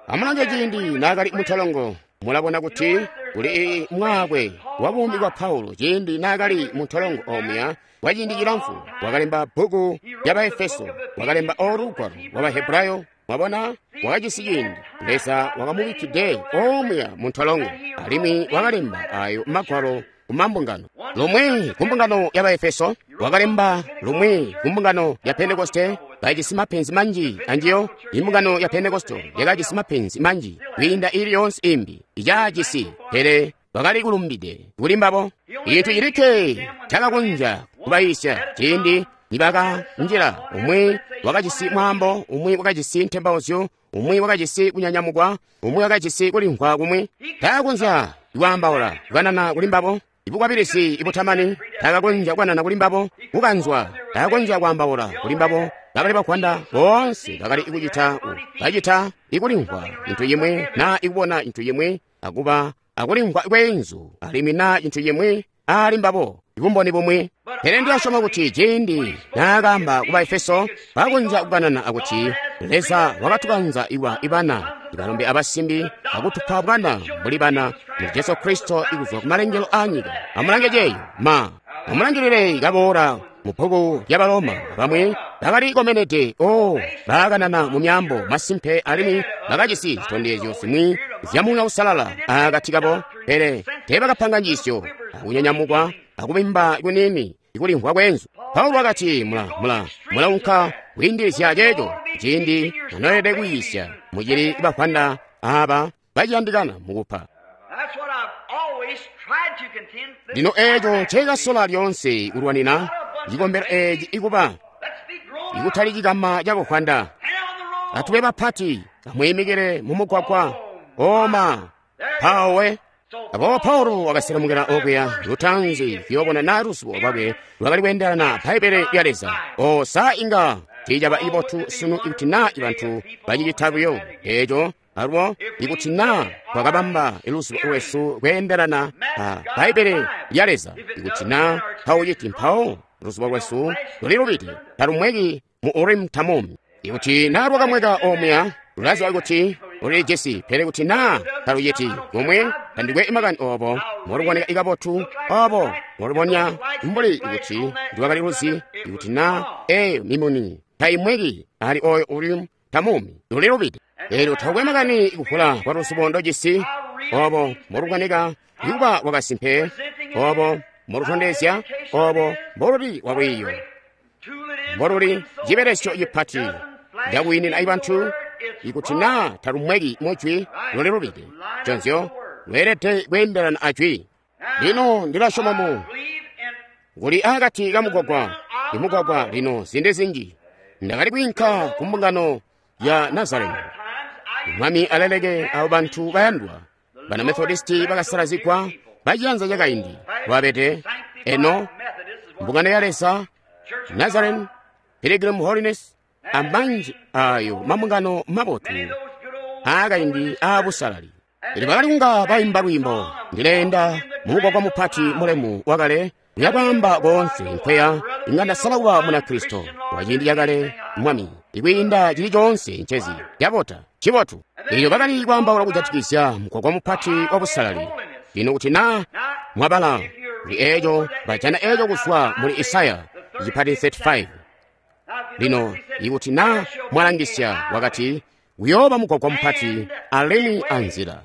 amulange ciindi naakali muntolongo, mulabona kuti kuli mwaakwe wa buumi bwa Paulo ciindi naakali muntolongo omuya kwa ciindi cilamfu. Wakalemba bbuku lya Baefeso, wakalemba olugwalo lwa Bahebrayo. Mwabona, wakajisi ciindi Leza wakamubikkide omuya muntolongo, alimwi wakalemba ayo magwalo kumambungano. Lumwi kumbungano ya Baefeso, wakalemba lumwi kumbungano ya Pentekoste. Bajisi mapenzi manji anjiyo. Imbungano ya Pentekoste yakajisi mapenzi manji kwiinda ili yoonse imbi icaajisi, pele bakali kulumbide kuli mbabo. Icintu cilikke cakakonzya kubayiisya ciindi nibakanjila, umwi wakajisi mwaambo, umwi wakajisi ntembauzyo, umwi wakajisi kunyanyamukwa, umwi wakajisi kulimvwa kumwi. Takakonzya kwaambaula kukanana kuli mbabo. Ibukwabilizi ibutamani takakonzya kukanana kuli mbabo. Kukanzwa takakonzya kwaambaula kuli mbabo. Bakali bakwanda boonse bakali kucita bacita ikulimvwa cintu cimwi naa ikubona cintu cimwi akuba akulimvwa kweenzu alimwi naa cintu cimwi ali mbabo ibumboni bumwi. Pele ndilasyoma kuti ciindi naakaamba ku Baefeso, bakonzya kukanana akuti Leza wakatukanza iwa ibana ibalombe abasimbi akutupa bwana mbuli bana muli Jesu Kristo ikuzwa kumalengelo aanyika. Amulange ceeyo ma amulangilile kaboola mu bbuku lya Baloma. Bamwi bakali komenede o baakanana mu myaambo masimpe alimwi bakajisi zitondezyo zimwi zya Muuya Uusalala akati kabo, pele teebakapanga njiisyo akunyanyamukwa akubimba kuniini ikulimvwa kweenzu. Paulo wakati mulaunka kwiindilizya ceeco ciindi munoelede kuyiisya mucili bafwanda aaba baciyandikana mukupa. Lino eeco nceekasola lyoonse kulwanina cikombelo eeci ikuba ikutali cikama cakuhwanda. Atube bapati, amwiimikile mumugwagwa. Oma pawe. Aboobo Paulo wakaselemukila okuya lutanzi kuyoobona naa luzubo lwakwe lwakali kweendelana Bbaibbele lya Leza. O saa inga tiicaba ibotu sunu ikuti naa ibantu bacicita buyo eeco alubo, ikuti naa twakabamba luzubo lwesu kweendelana a Bbaibbele lya Leza. Ikuti naa tauciti, mpawo luzubo lwesu lulilubide, talumweki mu Urim Tamum. Ikuti na lwakamweka omuya, lulaziba kuti ulijisi, pele kuti na taluciti kumwe, tandikwe makani obo moluboneka ikabotu, obo molubonya mbuli kuti ndwakali luzi, ikuti na eyo mimuni taimweki ali oyo Urim Tamum, lulilubide. Elyo takwe makani kuvula kwa luzibo ndojisi, obo moluboneka ikuba wakasimpe, obo molutondezya, obo mboluli walwiiyo, mboluli cibelesyo cipati cakwiinina ibantu. Ikuti na talumweki mujwi, lulilubide. Conzyo lweelede kweendelana ajwi. Lino ndilasyoma mu kuli akati kamugwagwa, imugwagwa lino zindi zinji. Ndakali kwiinka ku mbungano ya Nazareni. Mwami aleleke abo bantu bayandwa, bana Methodisti bakasalazigwa baciyanza cakaindi lwabede eno mbungano ya Leza, Nazarene, Pilgrim Holiness, amanji ayo mambungano mabotu aakaindi aabusalali. Elyo bakali kunga bayimba lwiimbo, ndileenda mumugwagwa mupati mulemu wakale, uyakwaamba koonse nkweya inga ndasala kuba Munakristo wa ciindi cakale, Mwami, ikwiinda cili coonse ncezi cabota cibotu. Elyo bakali kwaambaula kujatikizya mugwagwa mupati wa busalali. Lino kuti na mwabala kuli eeco, bajana eeco kuzwa muli Isaya cipati 35. Lino ikuti na mwalangisya, wakati uyooba mugwagwa mupati alimwi anzila.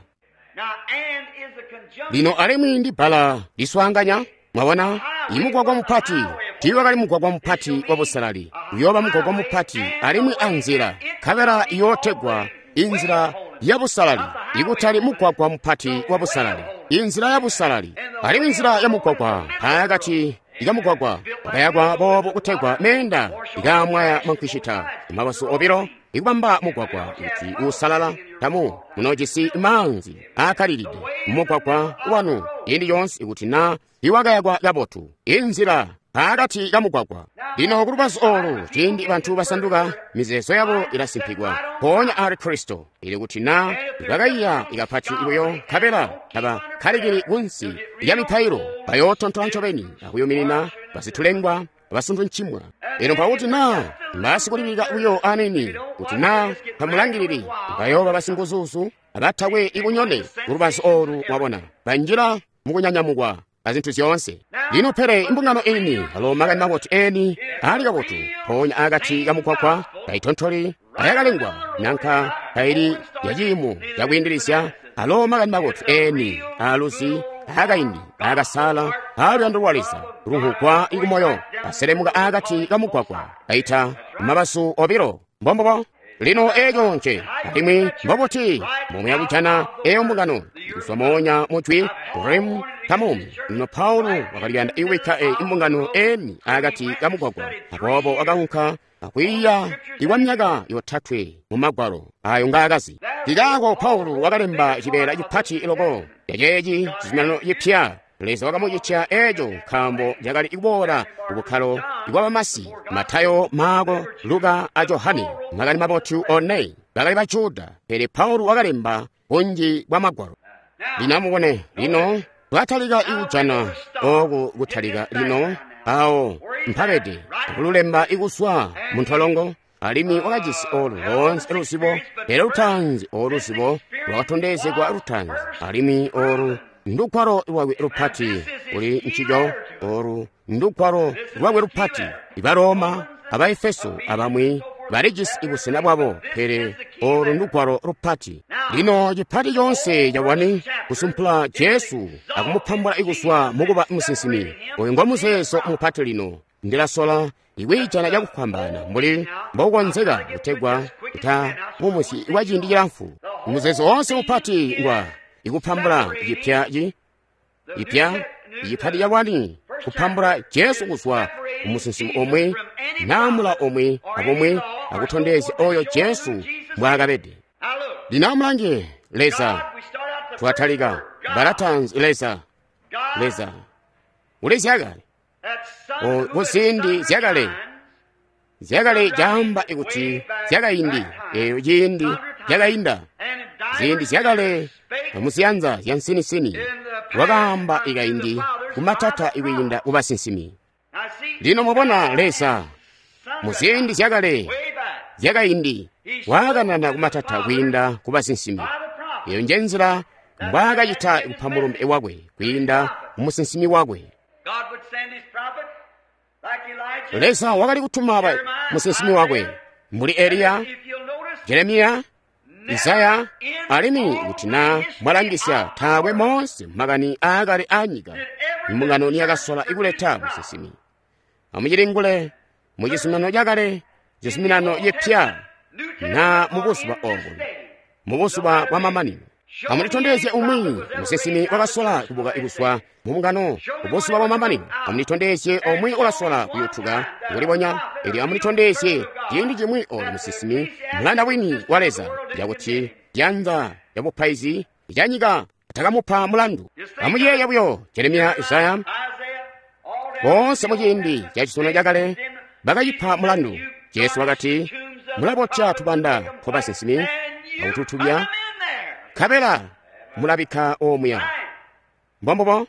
Lino alimwi ndi bbala liswaanganya. Mwabona, imugwagwa mupati tiiwakali mugwagwa mupati wa busalali, uyooba mugwagwa mupati alimwi anzila, nkabela iyootegwa inzila ya busalali, ikutali mugwagwa mupati wa busalali, inzila ya busalali. Alimwi inzila ya mugwagwa pakati ikamugwagwa wakayakwa boobo kutegwa meenda ikamwaya mankwishita mabazu obilo, ikubamba mugwagwa kuti usalala. Tamu munojisi maanzi aakkalilide mumugwagwa wanu ciindi coonse ikuti na iwakayakwa kabotu, inzila pakati kamugwagwa. Lino kulubazu olu, ciindi bantu basanduka, mizeezo yabo ilasimpikwa mpoonya ali Kristo. Ili kuti na bakaiya ikapati buyo, nkabela tabakkalikili kunsi lya mipailo, bayootontola ncobeni akuyuminina basitulengwa basuntuncimwa. Elyo mpakuti na mbasikulilika buyo anini, kuti na tamulangilili, bayooba basinguzuzu abatakwe ikunyone kulubazu olu. Mwabona, banjila mukunyanyamukwa azintu zyoonse. Lino pele imbungano ini alo makani mabotu eni ali kabotu, mpoonya akati kamugwagwa taitontoli ayakalengwa nanka taili yaciimo cakwiindilizya. Alo makani mabotu eni aluzi aakaindi aakasala aaluyando lwa Leza lunhugwa ikumoyo, aselemuka akati kamugwagwa aita mabazu obilo. Mbombobo. Lino eeco nce alimwi mbobuti mbomuya kujana eyo mbungano kuzwa moonya mujwi Urim Tamum. Lino Paulo wakaliyanda iwikka eyi imbungano eni akati kamugwagwa, aboobo wakaunka akwiiya ikwa myaka yotatwe mu magwalo ayo ngaakazi. Kikaako Paulo wakalemba cibeela cipati loko caceeci cizuminano cipya. Leza wakamucitya eeco nkaambo cakali kuboola kubukkalo bwa bamasi. Matayo, Maako, Luka a Johane, makani mabotu one, bakali ba Juda, pele Paulo wakalemba bunji bwa magwalo. Lino amubone, lino twatalika ikujana oku kutalika lino awo mpabede akululemba ikuswa muntolongo, alimwi wakajisi olu loonse luzibo, pele lutaanzi olu luzibo lwakatondezegwa lutaanzi, alimwi olu ndugwalo lwakwe lupati kuli ncico. Olu ndugwalo lwakwe lupati. Ibaroma, Abaefeso abamwi balijisi ibusena bwabo, pele olu ndugwalo lupati. Lino cipati coonse cawani kusumpula Jesu akumupambula ikuswa mukuba musinsimi. Oyu ngo muzeezo mupati. Lino ndilasola ikwiijana cakufwambaana mbuli mbokukonzeka kutegwa kuta mumusyi wa ciindi cilamfu. Muzeezo woonse mupati ngwa ikupambula cipya ipya icipati cawani kupambula Jesu kuzwa kumusinsimi omwe naamula omwe abomwe akutondezya oyo Jesu mbwaakabede. Lino amulange Leza, twatalika balatanzi Leza, Leza uli zyakale kuziindi zyakale zyakale caamba kuti zyakaindi, eyo ciindi cakainda, ziindi zyakale muziyanza zya nsinisini wakaamba ikaindi kumatata ikwiinda kubasinsimi. Lino mubona Leza Muziindi zyakale zyakaindi waakanana kumatata kwiinda ku basinsimi. Eyo nje nzila mbwaakacita kupa mulumbe wakwe kwiinda mu musinsimi wakwe. Leza wakali kutuma musinsimi wakwe mbuli Eliya, Jeremiya, Isaya, alimwi kuti na mwalangisya taakwe moonse makani aakale aanyika imbungano niyakasola ikuleta musinsimi. Amucilingule mu cizuminano cakale, cizuminano cipya, na mu buzuba obo, mu buzuba bwa mamanino. Amulitondezye umwi musinsimi wakasola kubuka kuzwa mu mbungano ku buzuba bwa mamanino. Amulitondezye omwe wakasola kuyutuka kulibonya. Elyo amulitondezye ciindi cimwi oyo musinsimi mulanda wini wa Leza, yakuti janza lya bupaizi lyanyika takamupa mulandu. Amuyeeye buyo Jeremiya, Isaya, boonse mu ciindi ca cizuminano cakale bakacipa mulandu. Jesu wakati, mulabotya tubanda twa basinsimi akututubya, nkabela mulabikka omuya. Mbombubo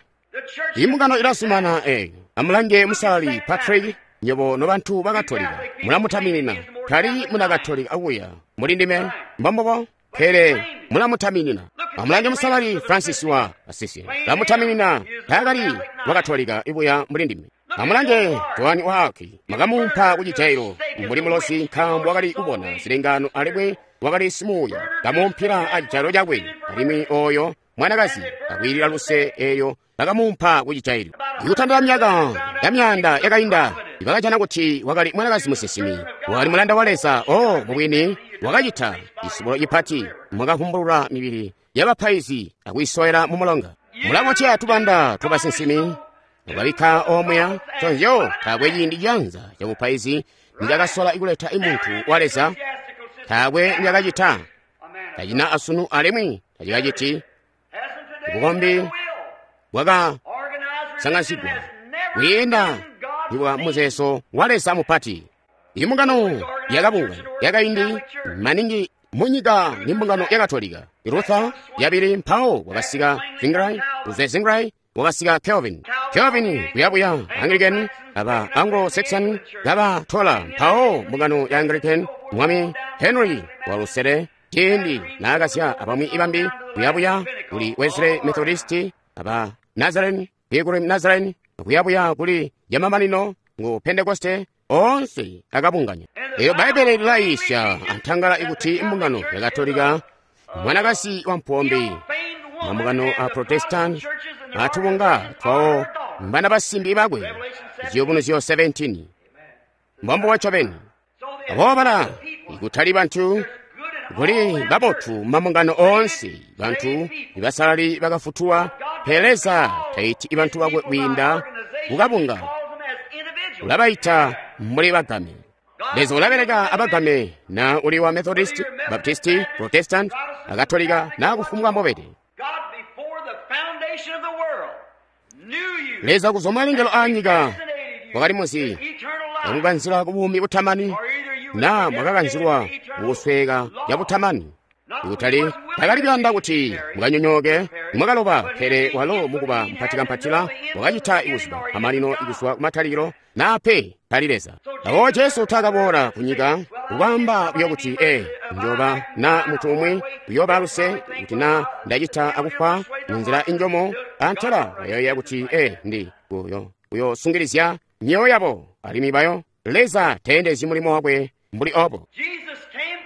imbungano ilazumana eyo. Amulange musalali Patrick, nywebo nobantu ba Katolika mulamutaminina. Tali muna Katolika akuya muli ndime. Mbombubo, pele mulamutaminina. Amulange musalali Francis wa Assisi, lamutaminina. Taakali wa Katolika ibuya muli ndime. Amulange Joani wa Arc, makamuumpa ku cijailo mbuli mulosi nkaambo wakali kubona zilengano alimwi wakali simuuya. Kamuumpila acijailo cakwe, alimwi oyo mwanakazi akwiilila luse eyo bakamuumpa ku cijailo. Ikutandila myaka ya myaanda yakainda, bakajana kuti wakali mwanakazi musinsimi, wakali mulanda wa Leza. O mubwini wakacita cisubulo cipati, mwakavumbulula mibili yabapaizi akuyisowela mu mulonga. Mulabotya tubanda twa basinsimi mukabikka omuya. Chonzyo taakwe ciindi janza cabupaizi nicakasola ikuleta imuntu wa Leza, taakwe nicakacita, tacina asunu alimwi tacikaciti. Bukombi bwakasangansigwa kwiinda ibwa muzeezo wa Leza mupati. Imbungano yakabunga yakaindi maningi munyika ni mbungano ya Katolika. Luther yabili, mpawo wakasika Zwingli, kuzwe Zwingli wakasika Calvin, Calvin kuyabuya Anglican, aba Anglo-Saxon kabatola, mpawo mbungano ya Anglican mwami Henry wa lusele ciindi naakasya abamwi ibambi kuyabuya kuli Wesley Methodist, aba Nazarene, Pilgrim Nazarene, kuyabuya kuli yamamanino ngu Pentekoste, onse akabunganya. Eyo Bbaibele lilayiisya antangala ikuti imbungano ya Katolika mwanakasi wa mpombe, mambungano a Protestant atubunga twawo mbana basimbi bakwe. Ziyubunuzyo 17. Mbombubo ncobeni. Aboobala ikutali bantu kuli babotu mambungano oonse, bantu ibasalali bakafutulwa, pele Leza taiti ibantu bakwe kwiinda kukabunga, ulabaita mbuli bagame. Leza ulabeleka abagame, na uli wa Methodist, Baptist, Protestant, Akatolika na kufumbwa mbobede. Leza kuzwa malengelo a nyika wakali muzi yamukanzila ku buumi butamani, na mwakakanzilwa mukusweka ya butamani. Ikutali takali kuyanda kuti mukanyonyooke mwakaloba, pele walo mukuba mpatikampatila wakacita ikuziba amalino ikuzwa kumatalikilo, nape tali Leza. Awo Jesu takaboola kunyika kukwaamba buyo kuti njoba na mutu umwi kuyoba luse kuti na ndacita akufa munzila injomo, antela bayoya kuti ndi kuyosungilizya myoyo yabo alimwi bayo. Leza teendezyi mulimo wakwe mbuli obo.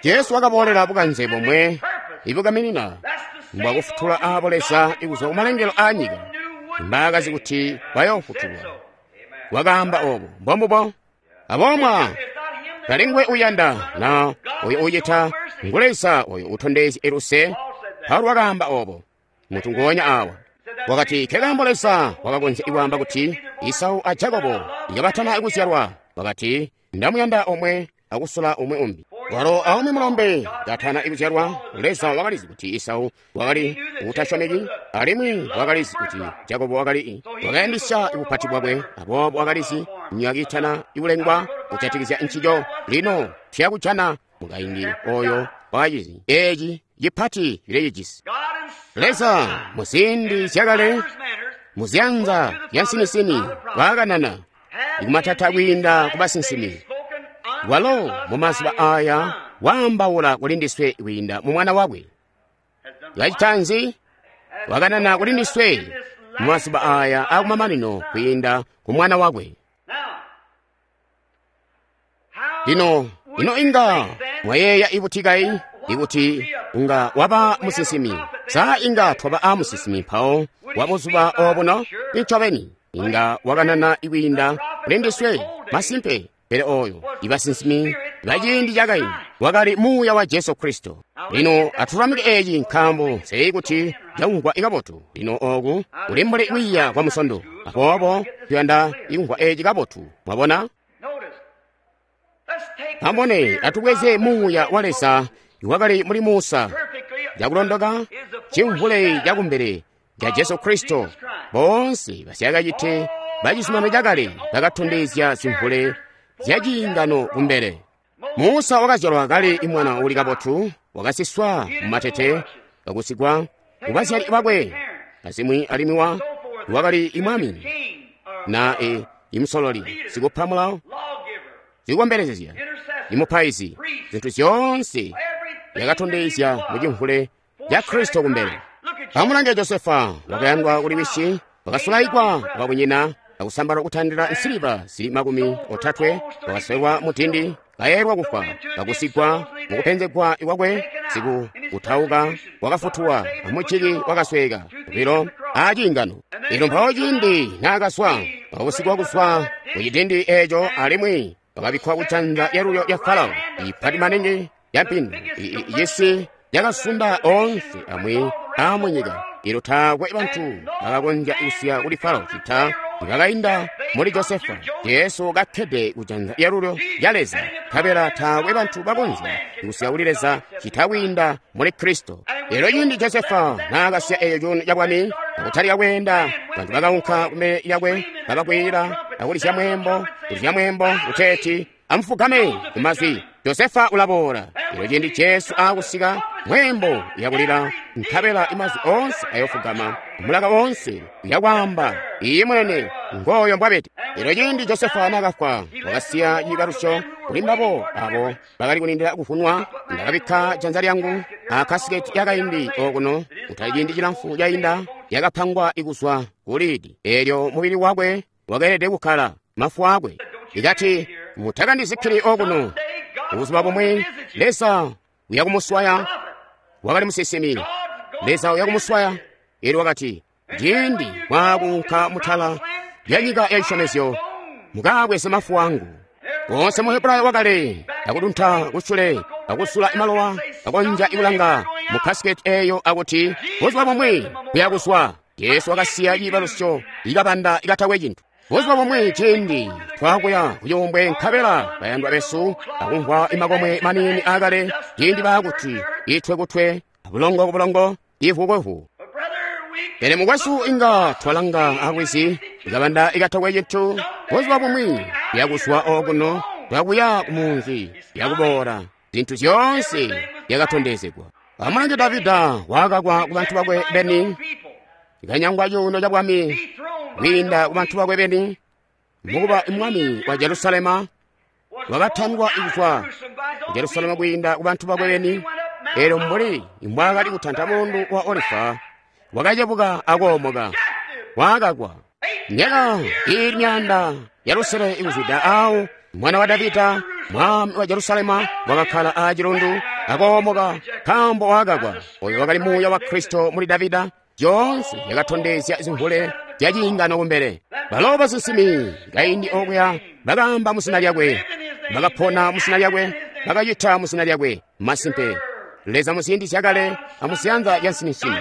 Jesu wakaboolela bukanze bomwe ibukaminina mbwakufutula aabo Leza ikuzwa kumalengelo a nyika mbaakazi kuti bayoofutulwa. Wakaamba obo. Mbombubo. Abomwa talingwe uyanda na oyo ucita ngu Leza oyo utondezya luse. Paulo wakaamba obo mutu nguonya awa. Wakati kekaambo Leza wakakonzya ikwaamba kuti Isau a Jakobo ikabatana ikuzyalwa. Wakati ndamuyanda omwe akusula umwe umbi. Walo aumwi mulombe katana ikuzyalwa, Leza wakalizi kuti Isau wakali utasyomeki, alimwi wakalizi kuti Jakobo wakali wakayandisya ibupati bwakwe, aboobo wakalizi myaka itana ikulengwa kujatikizya ncico. Lino tuyakujana mukaindi oyo wakacizi eci cipati cilecijisi. Leza muziindi zyakale muzyanza zyansinisini waakanana ikumatata kwiinda kubasinsimi. Walo mumazuba aya waambaula kuli ndiswe kwiinda mu Mwana wakwe. Kacita nzi? Wakanana kuli ndiswe mumazuba aya akumamanino kwiinda ku Mwana wakwe. Lino, ino inga mwayeeya ibuti kai ikuti unga waba musinsimi? Sa inga twaba a musinsimi mpawo wa buzuba obuno? Ncobeni inga wakanana ikwiinda kuli ndiswe masimpe. Pele oyo ibasinsimi baciindi cakaindi wakali muuya wa Jesu Kristo. Lino atulamike eci nkaambo nseyi kuti cakumvwa ikabotu. Lino oku kuli mbuli kwiiya kwa musondo, aboobo tuyanda ikumvwa eci kabotu. Mwabona? Amubone, atubweze muuya wa Leza iwakali muli Musa cakulondoka cimvule cakumbele ca Jesu Kristo. Boonse basyakacite bacizuminano cakale bakatondezya zimvule zyaciingano kumbele. Musa wakazyalwa kali mwana uli kabotu, wakasiswa mumatete, kakusigwa kubazyali bakwe, azimwi alimwi wakali imwami na imusololi, sikupa mulawo, sikukombelezezya, imupaizi. Zintu zyoonse yakatondezya mucimvule ca Kristo kumbele. Amulange Josefa, wakayandwa kuli wisi, wakasulaikwa babunyina, akusambalwa kutandila nsiliva zili 30, wakaswelwa mutindi, kayelwa kufwa, kakusigwa mukupenzegwa kwakwe, siku kutauka, wakafutuwa, amuciki wakasweka, lilo aciingano. Lino mpawo ciindi naakaswa, wakakusigwa kuswa kucitindi eco alimwi wakabikkwa kujanza lyalulyo lya Farao, ipati maningi lya mpindu, cisi cakasunda oonse amwi aamunyika. Ilo taakwe bantu bakakonzya kusiya kuli Farao cita ibakainda muli Josefa. Jesu kakkede kujanza lyalulyo lya Leza, nkabela taakwe bantu bakonzya kusiya kuli Leza cita kwiinda muli Kristo. Lero ciindi Josefa naakasiya eeyo cuuno cabwami akutalika kweenda, bantu bakaunka kumbele lyakwe kabakwila akulizya mweembo, kulizya mweembo kuteeti amufugame kumazwi. Josefa ulaboola. Lero ciindi Jesu aakusika, mweembo uyakulila, nkabela imazwi oonse ayofugama, mulaka woonse uyakwaamba, iye mwene ngoyo mbwabede. Lero ciindi Josefa naakafwa, wakasiya ciibalusyo kuli mbabo abo bakali kulindila kuvunwa. Ndakabikka janza lyangu akasiketi yakaindi okuno, kutali ciindi cilamfu cainda, yakapangwa ikuzwa kulidi. Eelyo mubili wakwe wakeelede kukkala mafu akwe. Ikati, mutakandizikkili okuno. Buzuba bumwi Leza uyakumuswaya. Wakali musinsimi. Leza uyakumuswaya. Elyo wakati, ciindi mwaakunka mutala lya nyika ya cisyomezyo, mukabweze mafu angu. Wonse mu Hebrayo wakale akudunta kusule, akusula malowa, akonja ikulanga mu kasiketi eyo akuti buzuba bumwi kuyakuswa. Jesu wakasiya ciibalusyo ikabanda ikatakwe cintu. Buzuba bumwi ciindi twakuya kuyumbwe nkabela bayandwa besu akumvwa imakomwe manini akale, ciindi baakuti itwe kutwe, bulongo ku bulongo, ivu kwevu. Pele mukwesu inga twalanga alwizi ikabanda ikatakwe cintu. Buzuba bumwi yakuswa okuno, twakuya kumunzi yakuboola, zintu zyoonse yakatondezegwa. Amulange Davida wakakwa kubantu bakwe beni, ikanyangwa cuuno ca bwami kwiinda kubantu bakwe beni, mukuba mwami wa Jerusalema, wakatandwa kuzwa ku Jerusalema kwiinda kubantu bakwe beni. Eelyo mbuli mbwaakali kutanta mulundu wa Olifa, wakacebuka akoomoka, wakakwa. Myaka ili 600 ikuzwida awo, mwana wa Davida, mwami wa Jerusalema, wakakkala acilundu akoomoka nkaambo wakakwa. Oyo wakali muuya wa Kristo muli Davida. Zyoonse yakatondezya zimvule zya ciingano kumbele. Balo basinsimi kaindi okuya bakaamba muzina lyakwe, bakapona muzina lyakwe, bakacita muzina lyakwe. Masimpe, Leza muziindi zyakale amuziyanza lya nsimisimi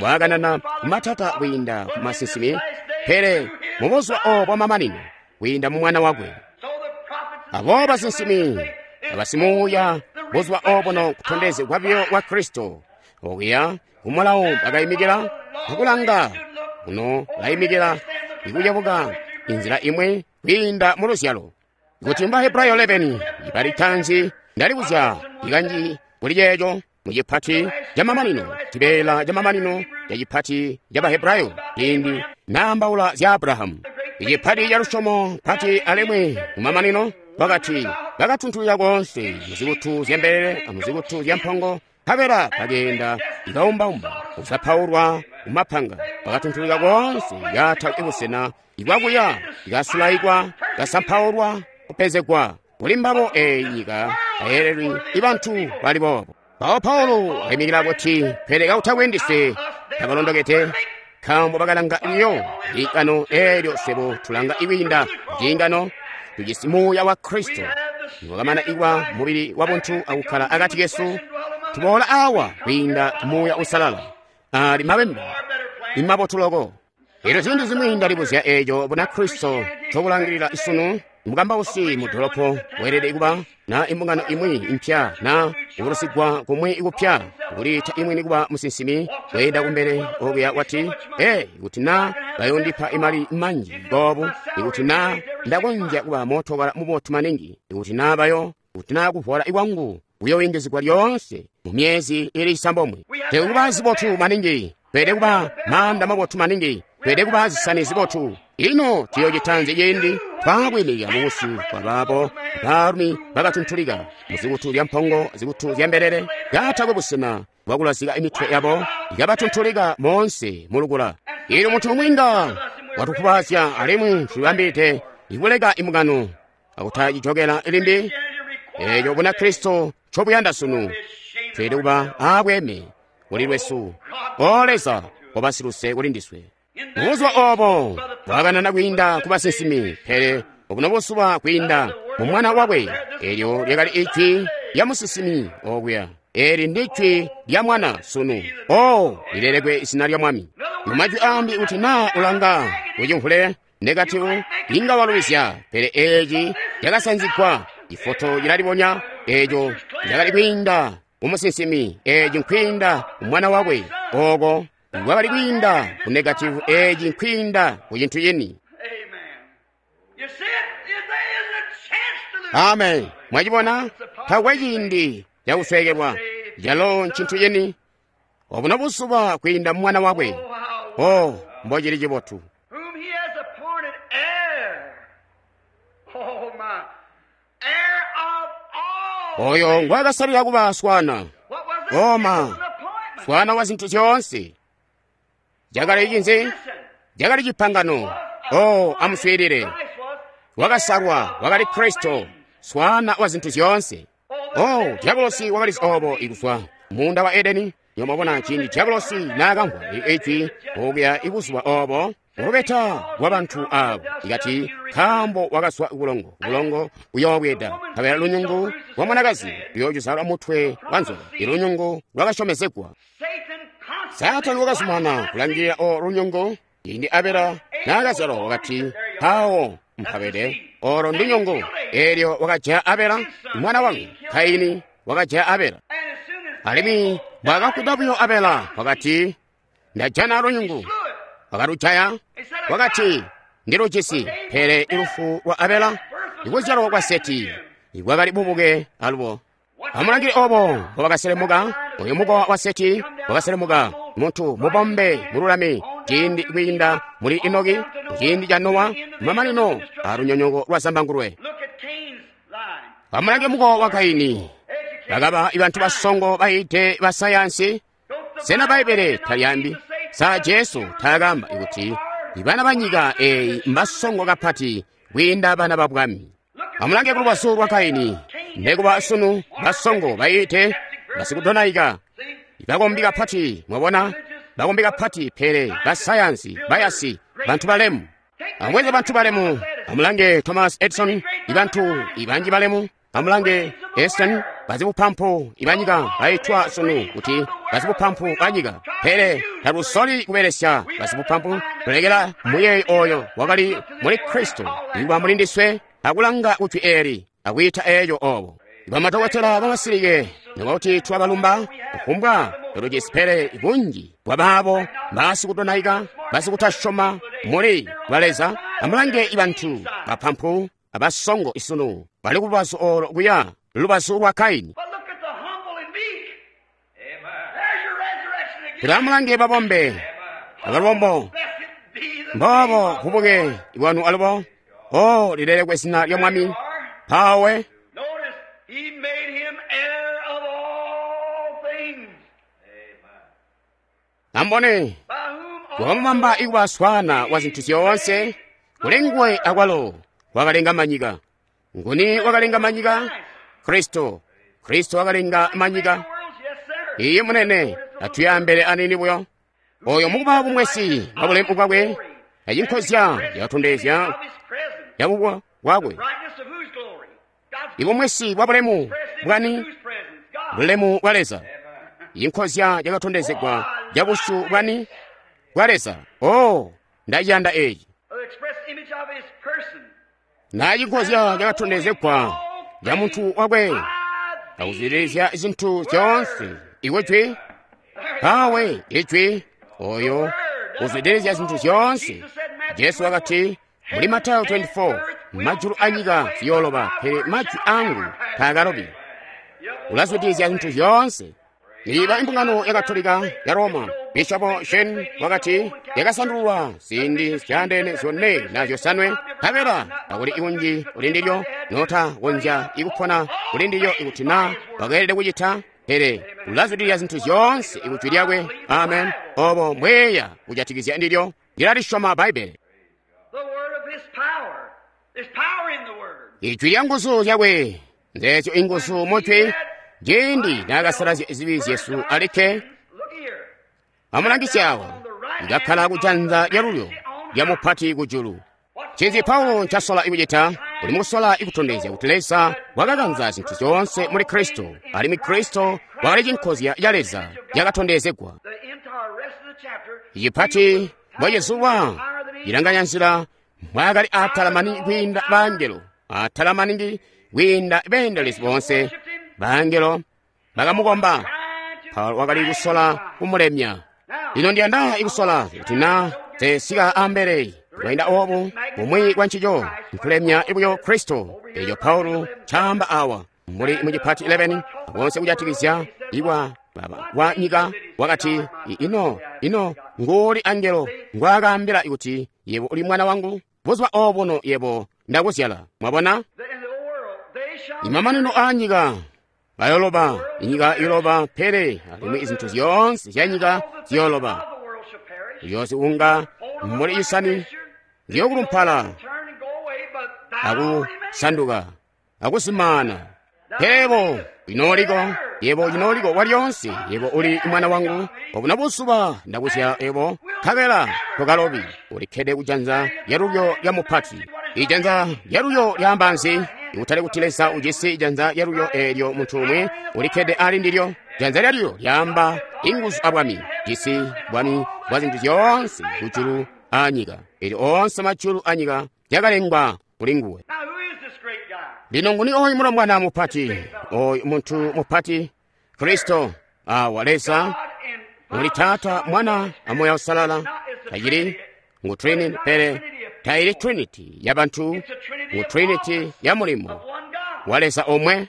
wakanana kumatata kwiinda ku masinsimi, pele mubuzuba obo bwamamanino kwiinda mu Mwana wakwe. Abo basinsimi abasimuuya buzuba obuno kutondezegwa buyo kwa Kristo okuya kumulawo bakayimikila akulanga kuno bayimikila ikucebuka inzila imwe kwiinda mu luzyalo. Kuti mba Hebrayo 11 ibali tanzi ndalibuzya ikanji kuli ceeco mu cipati camamanino, cibeela camamanino ca cipati ca Bahebrayo ciindi naambaula zya Abrahamu. Icipati ca lusyomo pati alimwi mumamanino wakati, Bakatuntulika koonse muzikutu zyambelele amuzikutu zyampongo, nkabela bakeenda ikaumbaumba kuzapaulwa kumapanga. Bakatuntulika koonse katakwe busena ibwakuya, ikasulaikwa, kasampaulwa, kupezegwa. Kuli mbabo eeyi nyika tayelelwi ibantu bali boobo. Mpawo Paulo akayimikila kuti, pele kakutakwe ndiswe tabalondokede, nkaambo bakalanga biyo ciingano eelyo swebo tulanga ikwiinda kuciingano. Tujisi Muuya wa Kristo niwakamana ikwa mubili wa buntu akukkala akati kesu, tuboola awa kwiinda ku Muuya Uusalala ali mabemba imabotu loko. Elyo ziindi zimwi ndalibuzya eeco Bunakristo ncokulangilila isunu. Mukambausi mu dolopo weelede kuba na imbungano imwi impya na kubulusigwa kumwi kupya, kuliita imwini kuba musinsimi, weenda kumbele okuya wati, ee, ikuti na bayondipa imali manji boobu, ikuti na ndakonzya kuba mootokala mubotu maningi, ikuti na bayo, ikuti na kuvola ikwangu kuyoyingizigwa lyoonse mu myezi ili 9. Tweelede kuba zibotu maningi, tweelede kuba maanda mabotu maningi, tweelede kuba zisani zibotu. Ino tuyoocitanzi ciindi twakwiimikila mubusyu bwa baabo baalumi bakatuntulika muzikutu zyampongo, zikutu zyambelele, katakwe busena bwakulazika imitwe yabo, ikabatuntulika moonse mulukula. Eelyo muntu umwi inga watukubaazya alimwi tulibambide ikuleka imbungano akutacijokela limbi. Eeco Bunakristo ncobuyanda sunu. Tweelede kuba aabweeme kuli lwesu. O Leza, koba siluse kuli ndiswe. Mubuzuba oobo bwakanana kwiinda ku basinsimi, pele obuno buzuba kwiinda mu Mwana wakwe. Eelyo lyakali ijwi lya musinsimi okuya. Eeli ndijwi lya Mwana sunu. O, lilelekwe izina lya Mwami. Mu majwi aambi, kuti naa ulanga kucimvule negativu inga walubizya, pele eeci cakasanzigwa. Ifoto cilalibonya, eeco cakali kwiinda mu musinsimi, eeci nkwiinda mu Mwana wakwe. Ooko kwakali kwiinda ku negativu, eeci nkwiinda ku cintu cini. Amen. Mwacibona? Takwe ciindi cakusweekelwa. Calo ncintu cini. Obuno buzuba kwiinda mu Mwana wakwe. Oh, mbocili cibotu. Oyo ngwakasalila kuba swana. Oma, swana wa zintu zyoonse. Cakali cinzi? Cakali cipangano. Oh, amuswiilile. Wakasalwa, wakali Kristo, swana wa zintu zyoonse. Oh, diabolosi wakalizi obo ikuzwa muunda wa Edeni. Nyomabona ciindi diabolosi naakamvwa ijwi okuya ibuzuba obo mulubeta lwa bantu abo, ikati nkaambo wakazwa kubulongo, bulongo buyoobweeda, nkabela lunyungu lwa mwanakazi luyoocuzalwa mutwe wa nzoka, ilunyungu lwakasyomezegwa. Saatani wakazumana kulangilila o lunyungu. Ciindi Abela naakazyalwa wakati, mpawo mpabede olo ndunyungu. Eelyo wakajaya Abela mwana wangu. Kaini wakajaya Abela. Alimwi mbwaakafwida buyo Abela wakati, ndajana lunyungu. Wakalujaya, wakati, ndilujisi. Pele ilufu lwa Abela, ikuzyalwa kwa Seti, ikwakali bubuke alubo. Amulangile obo mbobakaselemuka. Oyo mukowa wa Seti wakaselemuka, muntu mubombe mululami, ciindi kwiinda muli Enoki, ciindi ca Nowa, mamanino alunyonyoko lwa zambangulwe. Amulange mukowa wa Kaini, bakaba ibantu basongo bayiide ba sayansi. Sena Bbaibbele talyaambi? Sa Jesu taakaamba kuti ibana ba nyika eeyi mbasongo kapati kwiinda bana ba bwami? Amulange kulubazu lwa Kaini, nekuba sunu basongo bayiide basikudonaika, bakombi kapati, mwabona, bakombi kapati, pele basayansi, bayasi, bantu balemu. Amubweze bantu balemu. Amulange Thomas Edison, ibantu ibanji balemu. Amulange Einstein, bazibupampu ibanyika baitwa sunu kuti bazibupampu banyika, pele talusoli kubelesya bazibupampu. Tulekela muyeeyo oyo wakali muli Kristo ikuba muli ndiswe, akulanga kujwi eeli akwiita eeyo obo. Bamadokotela bamasilike nikuba twabalumba kufumbwa tulujisi, pele bunji bwabaabo basikudonaika, basikutasyoma muli bwa Leza. Amulange ibantu bapampu abasongo isunu bali kulubazu olo kuya lubazu lwa Kaini. Pele amulange babombe abalubombo, mboobo bubuke bwanu alubo. Oh, lilelekwe zina lya Mwami. Pawe. Ambone, wakamubamba ikuba swaana wa zintu zyoonse, kuli nguwe akwalo wakalenga manyika. Nguni wakalenga manyika? Kristo. Kristo wakalenga manyika. Iye munene, atuyambele anini buyo. Oyo mukuba bumwesi bwa bulemu bwakwe, acinkozya yakatondezya yabubwa bwakwe. Ibumwesi bwa bulemu bwani? Bulemu bwa Leza. Inkozya yakatondezegwa ya busyu bwani? Bwa Leza. Oh, ndaciyanda eeci. Na cinkozya yakatondezegwa ya muntu wakwe, akuzwidilizya zintu zyoonse. Iwe jwi, pawe ijwi, oyo uzwidilizya zintu zyoonse. Jesu wakati muli Matayo 24, majulu anyika ziyooloba, pele majwi angu taakalobi. Ulazwidilizya zintu zyoonse. Iba imbungano ya Katolika ya Roma, Bishopo Shen wakati yakasandululwa ziindi zyaandeene zyone na zyosanwe, nkabela akuli ikunji kuli ndilyo nota konzya ikupona kuli ndilyo ikuti na wakeelede kucita, pele ulazwidilizya zintu zyoonse ikujwi lyakwe. Amen. Obo mbweya kujatikizya ndilyo, ndilalisyoma Bbaibbele. Ijwi lya nguzu zyakwe nzeezyo inguzu mujwi. Ciindi naakasalazya zibi zyesu alikke, amulangisye awa, ikakkala kujanza lyalulyo lya mupati kujulu. Ncinzi Paulo ncasola ikucita? Uli mukusola ikutondezya kuti Leza wakakanza zintu zyoonse muli Kristo, alimwi Kristo wakali cinkozya ca Leza yakatondezegwa. Icipati mbwacizulwa cilanganya nzila mbwaakali atala maningi kwiinda bangelo, atala maningi kwiinda beendelezi boonse. Bangelo bakamukomba. Paulo wakali kusola kumulemya. Lino ndiyanda ikusola kuti na tesika ambele lwainda obu bumwi bwa ncico nkulemya ibuyo Kristo. Eco Paulo ncaamba awa muli mucipati 11 konse kujatikizya ikwa wa nyika wakati ino nguuli angelo ngwaakaambila kuti yebo uli mwana wangu, buzuba obuno yebo ndakuzyala. Mwabona, imamanino a nyika bayoloba, inyika iyoloba, pele alimwi izintu zyoonse zya nyika ziyoloba. Uyoziunga muli isani ziyokulumpala akusanduka akuzimaana. Pele inooliko, yebo inooliko walyonse, yebo uli mwana wangu, obuno buzuba ndakuzyala yebo, nkabela tokalobi. Ulikkede kujanza lyalulyo lya mupati. Ijanza lyalulyo lyaamba nzi? Ikutali kuti Leza ujisi ijanza lyalulyo eelyo muntu umwi ulikkede ali ndilyo. Janza lyalulyo lyaamba inguzu abwami, jisi bwami bwa zintu zyoonse kujulu anyika. Eelyo oonse majulu anyika yakalengwa kuli nguwe. Lino nguni oyu mulombwana mupati, oyu muntu mupati? Kristo awa Leza muli Taata, Mwana a Moya Usalala. Tacili ngu Trinity, pele taili Trinity ya bantu, ngu Trinity ya mulimo wa Leza omwe.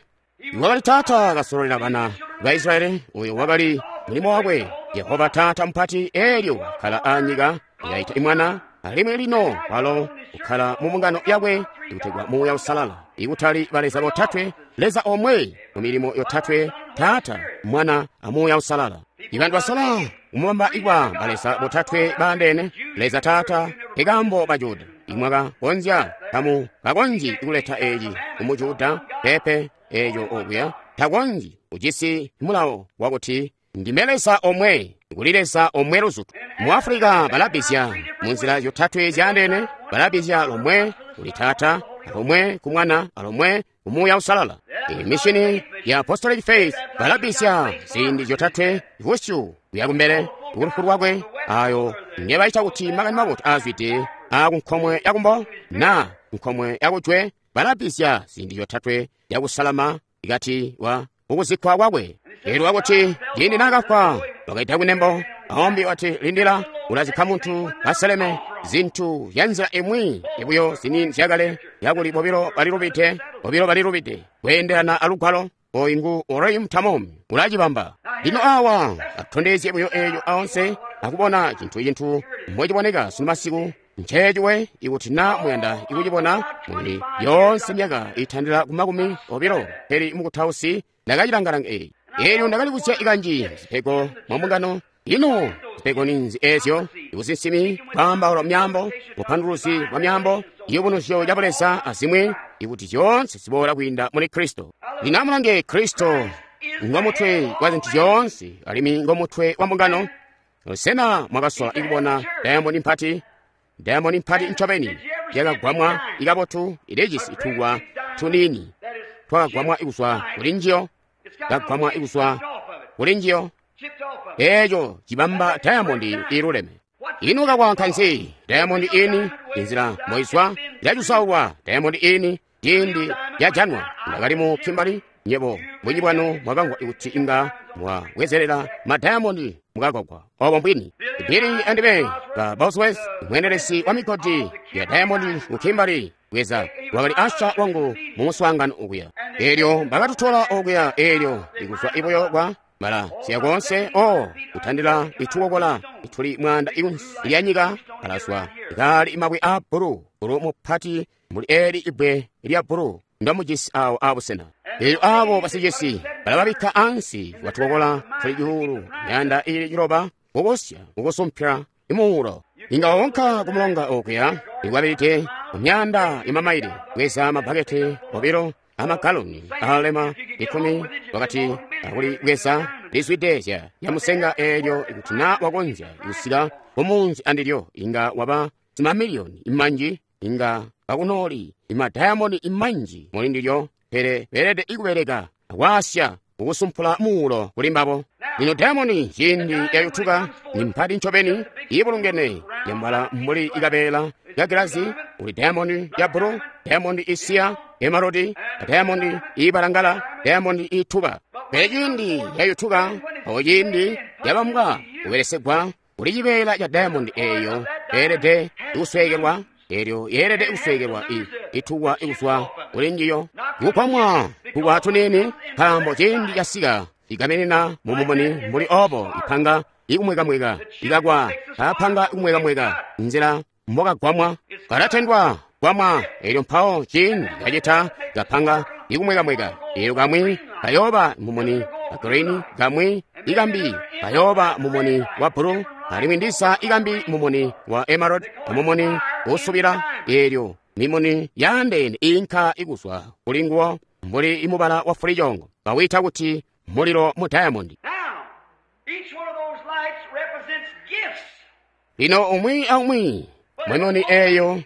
Wakali Taata kasololela bana ba Israeli, uyo wakali mulimo wakwe. Yehova Taata mupati eelyo kala anyika yaita imwana, alimwi lino walo kukhala mu mbungano yakwe ikutegwa Muuya Usalala. Ikutali baleza botatwe, Leza omwe mu milimo yotatwe, Taata, Mwana a Muuya Usalala. Ibantu basola kumubamba ikwa baleza botatwe baandeene, Leza Taata ikambo ba Juda. Imwaka konzya kamu kakonzyi kuleta eeci ku Juda pepe eeco okuya takonzyi ujisi mulawo wakuti ndime Leza omwe, kuli Leza omwe luzutu. Mu Afrika balabizya munzila zyotatwe zyaandeene, balabizya lomwe kuli Taata, alomwe ku Mwana, alomwe ku Muuya Usalala. Imishini ya Apostolic Faith balabizya ziindi zyotatwe busyu kuya kumbele kulufu lwakwe, ayo ngebaita kuti makani mabotu aazwide akunkomwe yakumbo na nkomwe yakujwe. Balabizya ziindi zyotatwe yakusalama ikati wa ukuzikkwa kwakwe. Elyo wakuti ciindi naakafwa wakaita kunembo aombi wati lindila ulazikka muntu aseleme zintu zya nzila imwi ibuyo zini zyakale yakuli bobilo balilubide kweendelana alugwalo. Oyu ngu Urim Tamum ulacibamba. Lino awa atondezye buyo eeyo aonse akubona cintu mbociboneka sunu masiku. Nceeciwe ikuti na muyanda ikucibona muli yoonse myaka itandila ku 20 pele mukutausi ndakacilanga-langa eyi. Eelyo ndakali kusya ikanji zipego mwa mbungano Ino zipego ninzi ezyo? Ibusinsimi, kwaambaula myaambo, bupanduluzi bwa myaambo, iyubunuzyo ca Buleza azimwi, ikuti zyoonse ziboola kwiinda muli Kristo. Lino amulange, Kristo ngomutwe wa zintu zyoonse, alimwi ngomutwe wa mbungano. Sena mwakasola ikubona diamond mpati? Diamond mpati ncobeni yakagwamwa ikabotu, ilijisi itukwa tuniini twakagwamwa ikuzwa kuli njiyo, kagwamwa ikuzwa kuli njiyo. Eeco cibamba diamond iluleme. Ino kakwaanka nzi diamond ini? Inzila moizwa ilacusaulwa diamond ini ciindi yajanwa. Ndakali mu Kimberley, nyebo bunji bwanu mwakamvwa kuti inga mwabwezelela ma diamond mukagwagwa. Obo mbwini. Billy andime ba Bosworth, mwendelesi wa migodi ya diamond mu Kimberley, bweza wakali asha wangu mu muswaangano okuya. Eelyo bakatutola okuya, eelyo ikuzwa ibuyo kwa mala siya konse o kutandila itukokola ituli mwanda ikunsi lya nyika alazwa ikali mabwe a bulu, bulu mupati muli eli ibwe lya bulu ndamujisi awo abusena. Eelyo abo basicisi balababikka ansi watukokola tuli cuulu myanda ili ciloba kukosya kukusumpya imuulo. Inga wawonka kumulonga okuya ikwabilite mumyanda imamaili bweza mabakete obilo amagaloni alema 10 wakati akuli bweza lizwide zya yamusenga. Eelyo ikuti na wakonzya kusika kumunzi andilyo inga waba zimamiliyoni imanji, inga kakunoli imadayamoni imanji muli ndilyo, pele beelede ikubeleka akwasya kukusumpula muulo kuli mbabo. Lino dayamoni ciindi yayutuka ni mpati ncobeni ibulungene yambala mbuli ikabeela ya gilazi. Uli dayamoni ya bulu, dayamoni isiya, emarodi, dayamoni ibalangala, dayamoni ituba. Pele ciindi yayutuka awo ciindi yabambwa kubelesegwa kuli cibeela ca dayamoni eeyo yeelede kusweekelwa, eelyo yeelede kusweekelwa itukwa ikuzwa kuli njiyo kukwamwa kukwa tuniini, nkaambo ciindi casika ikamenena mumumuni mbuli obo ipanga ikumwekamweka ikakwa apanga ikumwekamweka nzila mbokagwamwa kalatendwa gwamwa. Eelyo mpawo ciindi kacita kapanga ikumwekamweka, eelyo kamwi kayooba mumuni wa green, kamwi ikambi kayooba mumuni wa bulu, alimwi ndisa ikambi mumuni wa emerald amumuni usubila. Eelyo mimuni yaandeene inka ikuzwa kuli nguwo mbuli imubala wa fulichongo, kawita kuti mulilo mu diamond. Lino umwi aumwi mwemoni eyo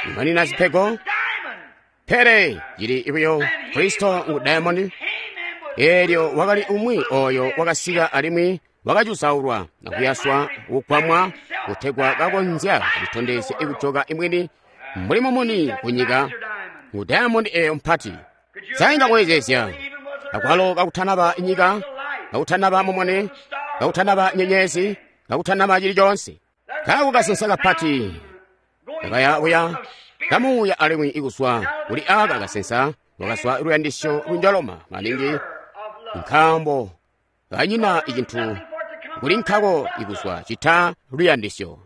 imanina zipego, pele cili ibuyo Kristo ngu diamond. Eelyo wakali umwi oyo wakasika alimwi wakacusaulwa akuyaswa kugwamwa kutegwa kakonzya kulitondezya ikujoka imwini mbuli mumuni kunyika ngu diamond eyo mpati. Sainga kuwezezya akwalo kakutanaba nyika, kakutanaba mumuni, kakutanaba nyenyezi, kakutanaba chili chonse. Kaku kasensa kapati kakayabuya kamuuya alimwi ikuswa kuli aka kasensa wakaswa luyandisyo lunjaloma maningi, nkaambo kanyina icintu kuli nkako ikuswa cita luyandisyo.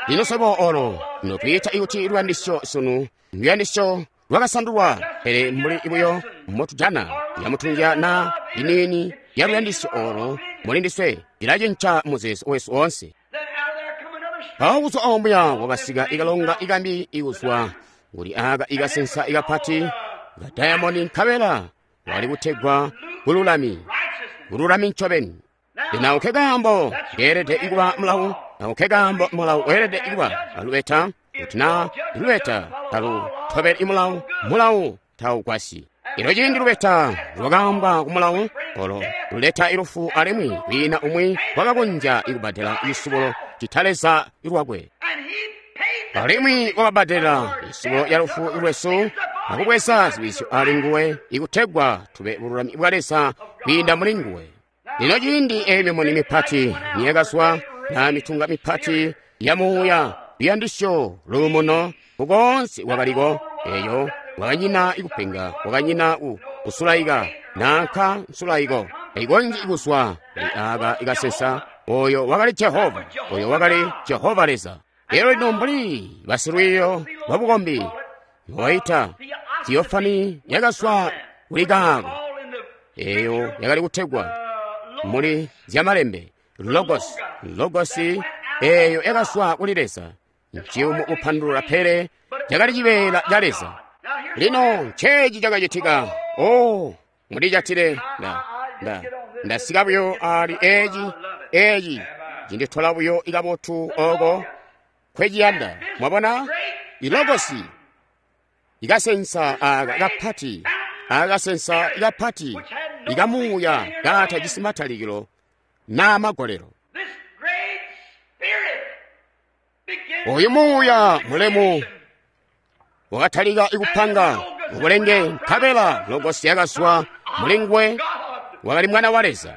Lino swebo olo notwiita ikuti luyandisyo sunu luyandisyo lwakasandulwa, pele mbuli ibuyo motujana yamutunja na iniini ya luyandisyo olo muli ndiswe ilacinca muzeezo wesu oonse. Mpawo kuzwa ombuya wakasika ikalonga ikambi ikuzwa kuli aka ikasensa ikapati ka diamond, nkabela wali kutegwa bululami, bululami ncobeni. Lino ako kaambo keelede ikuba mulawu, ako kaambo mulawu weelede ikuba alubeta, kuti na lubeta talutobeli mulawu, mulawu taugwasyi. Ilo ciindi lubeta lwakaambwa ku mulawu olo luleta ilufu, alimwi kwiina umwi wakakonzya ikubbadela isubulo cita Leza lwakwe. Alimwi wakabbadela isubulo ya lufu lwesu akubweza ziwisyo ali nguwe ikutegwa tube bululami bwa Leza kwiinda muli nguwe. Lino ciindi eyo mimuni mipati niyakazwa na mitunga mipati ya muuya luyandisyo luumuno kukonse kwakaliko, eyo wakanyina ikupenga, wakanyina kusulaika nanka nsulaiko ikonji ikuswa kuli aka ikasensa. Oyo wakali Jehova, oyo wakali Jehova Leza. Lero lino mbuli basilwiiyo lwabukombi mbobaita theophany yakazwa kuli kaako, eyo yakali kutegwa muli zyamalembe Logos. Logosi eyo yakazwa kuli Leza. Nchiyumu kupandulula pele cakali cibeela ca Leza. Lino nceeci cakacitika. Oh, mulijatile. Ndasika buyo ali eci cinditola buyo ikabotu oko kweciyanda. Mwabona? Ilogosi ikasensa aka kapati, akasensa kapati ikamuuya katajisi matalikilo na magolelo. Oyu muuya mulemu wakatalika ikupanga mubulenge, nkabela Logosi yakazwa mulingwe, wakali mwana wa Leza.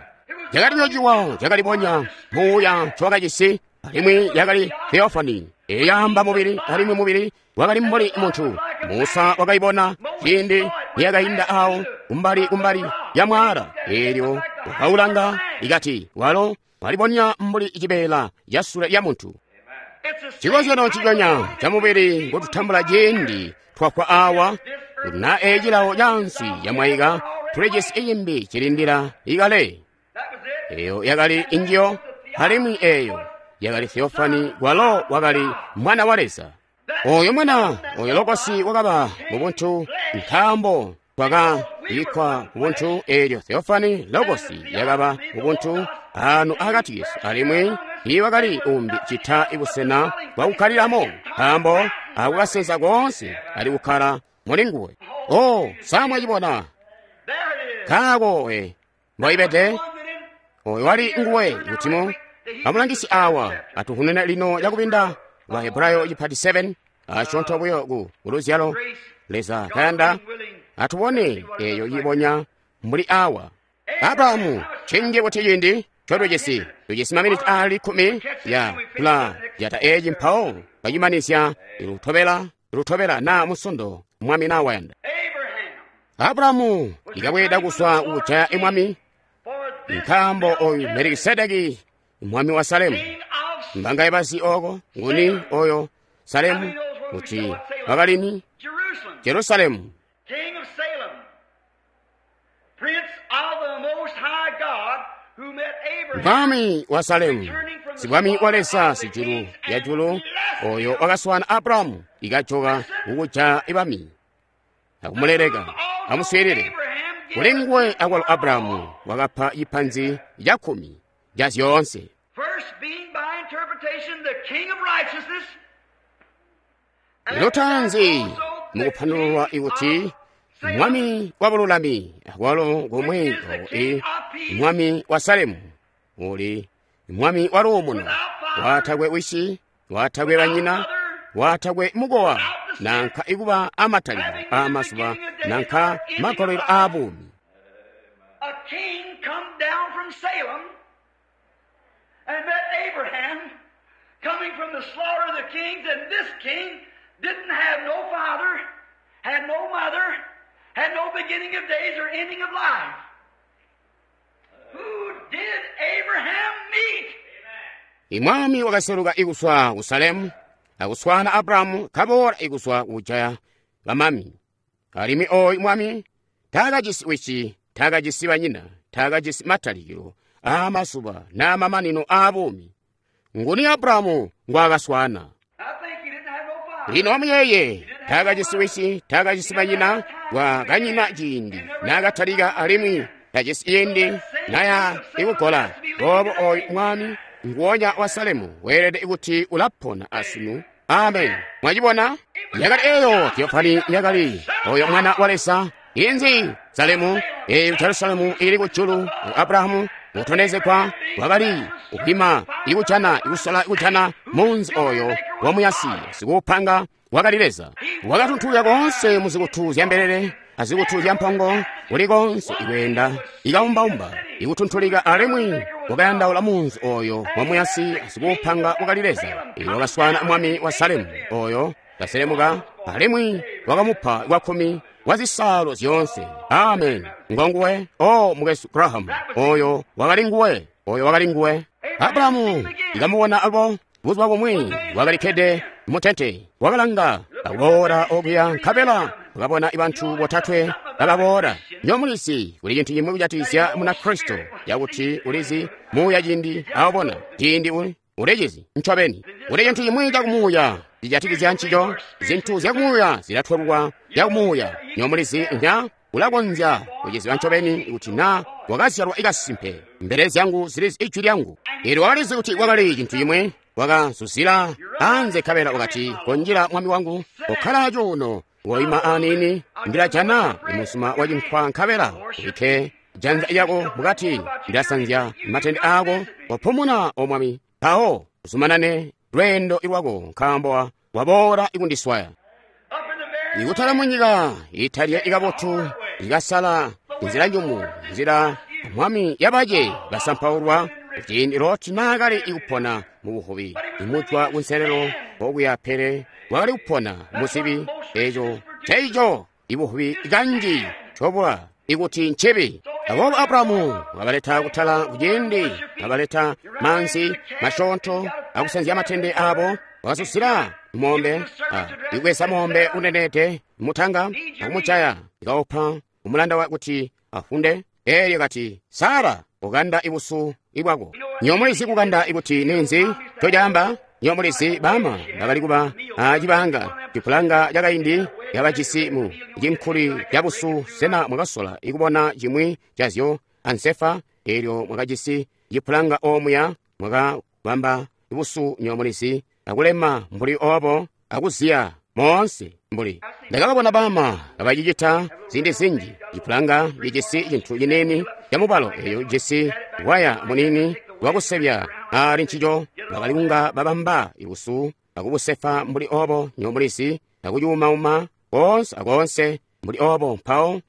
Cakali ciwa cakalibonya muuya ncowakajisi, alimwi yakali theophany iyaamba mubili, alimwi mubili wakali mbuli muntu. Musa wakaibona ciindi niyakainda awo kumbali kumbali ya mwaala, eelyo wakaulanga ikati walo walibonya mbuli cibeela ca sule lya muntu. Chikozyano ciconya ca mubili ngotutambula ciindi twafwa awa, kuti na ecilawo cansi camwaika tulijisi icimbi cilindila ikale. Eyo yakali injiyo, alimwi eyo yakali theophany, kwalo wakali mwana wa Leza. Oyo mwana, oyo Logosi wakaba mubuntu, nkaambo twakabikkwa kubuntu. Eelyo theophany Logosi yakaba mubuntu anu akati kesu, alimwi iwakali umbi cita ibusena bwakukkaliramo, nkaambo akukasensa koonse ali kukkala muli nguwe. Oh, samwacibona kaako we mboibede oyo wali nguwe kutimo amulangisi awa atuhunene lino yakupinda wa Hebrayo chipati 7 ashontho buyo ku luzyalo Leza kayanda atubone eyo yibonya mbuli awa. Abrahamu chinje kuti chindi chotujisi tujisi maminiti ali 10 ya kula yata eji mpawo kachimanizya ilutobela na musondo mwami na wayanda. Abrahamu ikabweda kuswa kujaya imwami, nkambo oyu Melikisedeki mwami wa Salemu. Mbanga ibasi oko nguni oyo Salemu kuti wakalini Jerusalemu. Mwami wa Salemu, sibwami wa Leza sijulu ya julu, oyo wakaswana Abrahamu ikajoka kukuja ibami akumuleleka amuswilile. Kulingwe akwalo Abrahamu wakapa ipanzi ya 10 ya zyoonse. Lutanzi mukupandululwa ikuti mwami wa bululami akwalo komwe oi mwami wa Salemu uli mwami wa luumuno, watakwe wisi, watakwe banyina, watakwe mukowa, nanka ikuba amatalikilo amazuba, nanka magolelo a bumi. A king come down from Salem and met Abraham coming from the slaughter of the kings, and this king didn't have no father, had no mother, had no beginning of days or ending of life. Who did Abraham meet? Imwami wakaseluka ikuswa ku Salemu akuswana Abrahamu kabola ikuswa kujaya bamami. Alimwi oyu mwami takajisi wisi, takajisi banyina, takajisi matalikilo amazuba n'amamanino a bumi. Nguni Abrahamu ngwakaswana? Lino amuyeye takajisi wisi, takajisi banyina, wakanyina ciindi nakatalika alimwi tajisi iyindi naya ikugola. Boobo oyu mwami nguwonya wa Salemu weelede kuti ulapona asunu. Amen. Mwachibona? Yakali eyo theophany yakali oyo mwana wa Leza. Inzi Salemu eyo Jerusalemu ili kujulu. Abrahamu mutondezekwa wakali kupima ikujana ikusola ikujana munzi oyo wamuyasi sikupanga wakali Leza. Wakatuntulya konse muzikutu zya mbelele azikutu zya mpongo, kuli konse ikwenda ikaumbaumba ikutuntulika, alimwi wakayandaula munzi oyo wamuyasi sikupanga wakali Leza. Iwo wakaswana mwami wa Salemu oyo kaselemuka, alimwi wakamupa kwakkumi wa zisalo zyoonse. Amen. Ngonguwe o mukwesu Graham, oyo wakali nguwe, oyo wakali nguwe. Abrahamu ikamuwona alubo buzuba bumwi wakalikkede mutente, wakalanga akuboola okuya, nkabela wakabona bantu botatwe kababoola. Nyo mulizi kuli cintu cimwi kujatikizya Munakristo cakuti ulizi muuya ciindi awubona ciindi ulicizi ncobeni. Kuli cintu cimwi cakumuuya cijatikizya ncico, zintu zyakumuuya zilatwelwa zyakumuuya. Nyo mulizi nya ulakonzya kuciziba ncobeni kuti na wakazyalwa ikasimpe. Mbele zyangu zilizi ijwi lyangu. Eelyo wakalizi kuti kwakali cintu cimwi, wakazuzila anze nkabela wakati, konjila mwami wangu, kokkala cuuno, woima aniini, ndilajana imusuma wa cinkwa nkabela ubikke janza lyako mukati, ndilasanzya matende aako, wapumuna o mwami, mpawo uzumanane lweendo lwako nkaambo waboola ikundiswaya. Ikutala munyika italya ikabotu, ikasala nzila njumu, nzila mwami yabace basampaulwa, ciindi Loti naakali ikupona mu buvubi, imujwa kunselelo okuya pele wakali kupona muzibi eco ceico ibuvubi kanji cobwa ikuti ncibi. Aboobo Abrahamu wabaleta kutala kuciindi wabaleta maanzi masyoonto akusanzya matende abo, wakasusila mombe, ikwesa mombe unenete mutanga akumujaya, ikaupa umulanda wa kuti afunde. Eelyo kati, Sara, ukanda ibusu ibwako. Nyomulizi kukanda ikuti ninzi tocaamba. Nyomulizi bama bakali kuba acibanga cipulanga cakaindi yabajisi mu cinkuli cabusu. Sena mwakasola ikubona cimwi cazyo ansefa? Eelyo mwakajisi cipulanga omuya mwakabamba ibusu nyomulizi akulema mbuli obo akuziya moonse mbuli. Ndakababona bama kabacicita ziindi zinji. Cipulanga cijisi cintu ciniini camubalo eyo jisi waya munini wakusebya ali ncico. Bakali kunga babamba ibusu akubusefa mbuli obo nyomulizi akucuumauma koonse akoonse mbuli obo, mpawo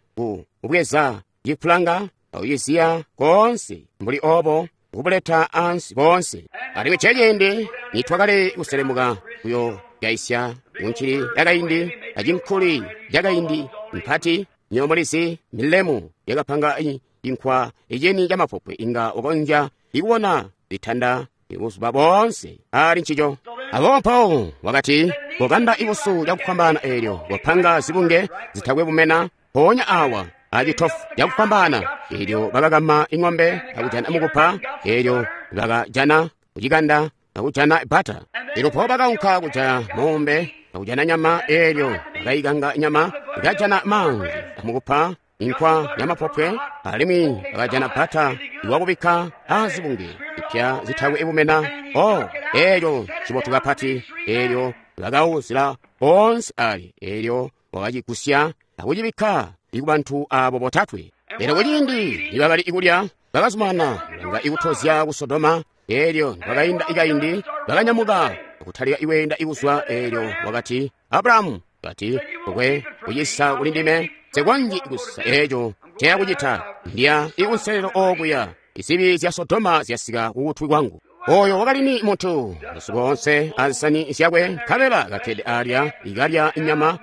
kubweza cipulanga akuciziya koonse mbuli obo kubuleta ansi boonse. Alimwi ceciindi nitwakali kuselemuka kuyo yaisya kuncili yakaindi acinkuli yakaindi mpati nyomulizi milemu yakapanga inkwa icini camapopwe inga ukonzya ikubona litanda ibuzuba boonse ali ncico. Aboobo mpawo wakati, kokanda ibusu cakufwambaana eelyo wapanga zibunge zitakwe bumena mpoonya awa acitofu cakufwambaana. Eelyo bakakama ing'ombe akujana mukupa, eelyo bakajana kucikanda akujana bata. Eelyo mpawo bakaunka kujaya mombe akujana nyama, eelyo bakayikanga nyama, bakajana maanzi amukupa inkwa yamapopwe, alimwi bakajana bata iwakubikka azibunge ipya zitakwe ibumena. O eelyo cibotu kapati. Eelyo bakawuzila onse ali, eelyo wakacigusya akucibikka ikubantu abo botatwe. Eelyo kuciindi nibakali ikulya bakazumana kulanga ikutozya ku Sodoma. Eelyo nibakainda ikaindi bakanyamuka akutalika iweenda ikuzwa. Eelyo wakati, Abrahamu, kati ukwe kucisa kuli ndime, nsekwanji kusisa eeco nceyakucita, ndya ikunselelo okuya, izibi zya Sodoma zyasika kukutwi kwangu. Oyo wakali ni muntu masiku onse azisani zyakwe, nkabela kakkede alya ikalya inyama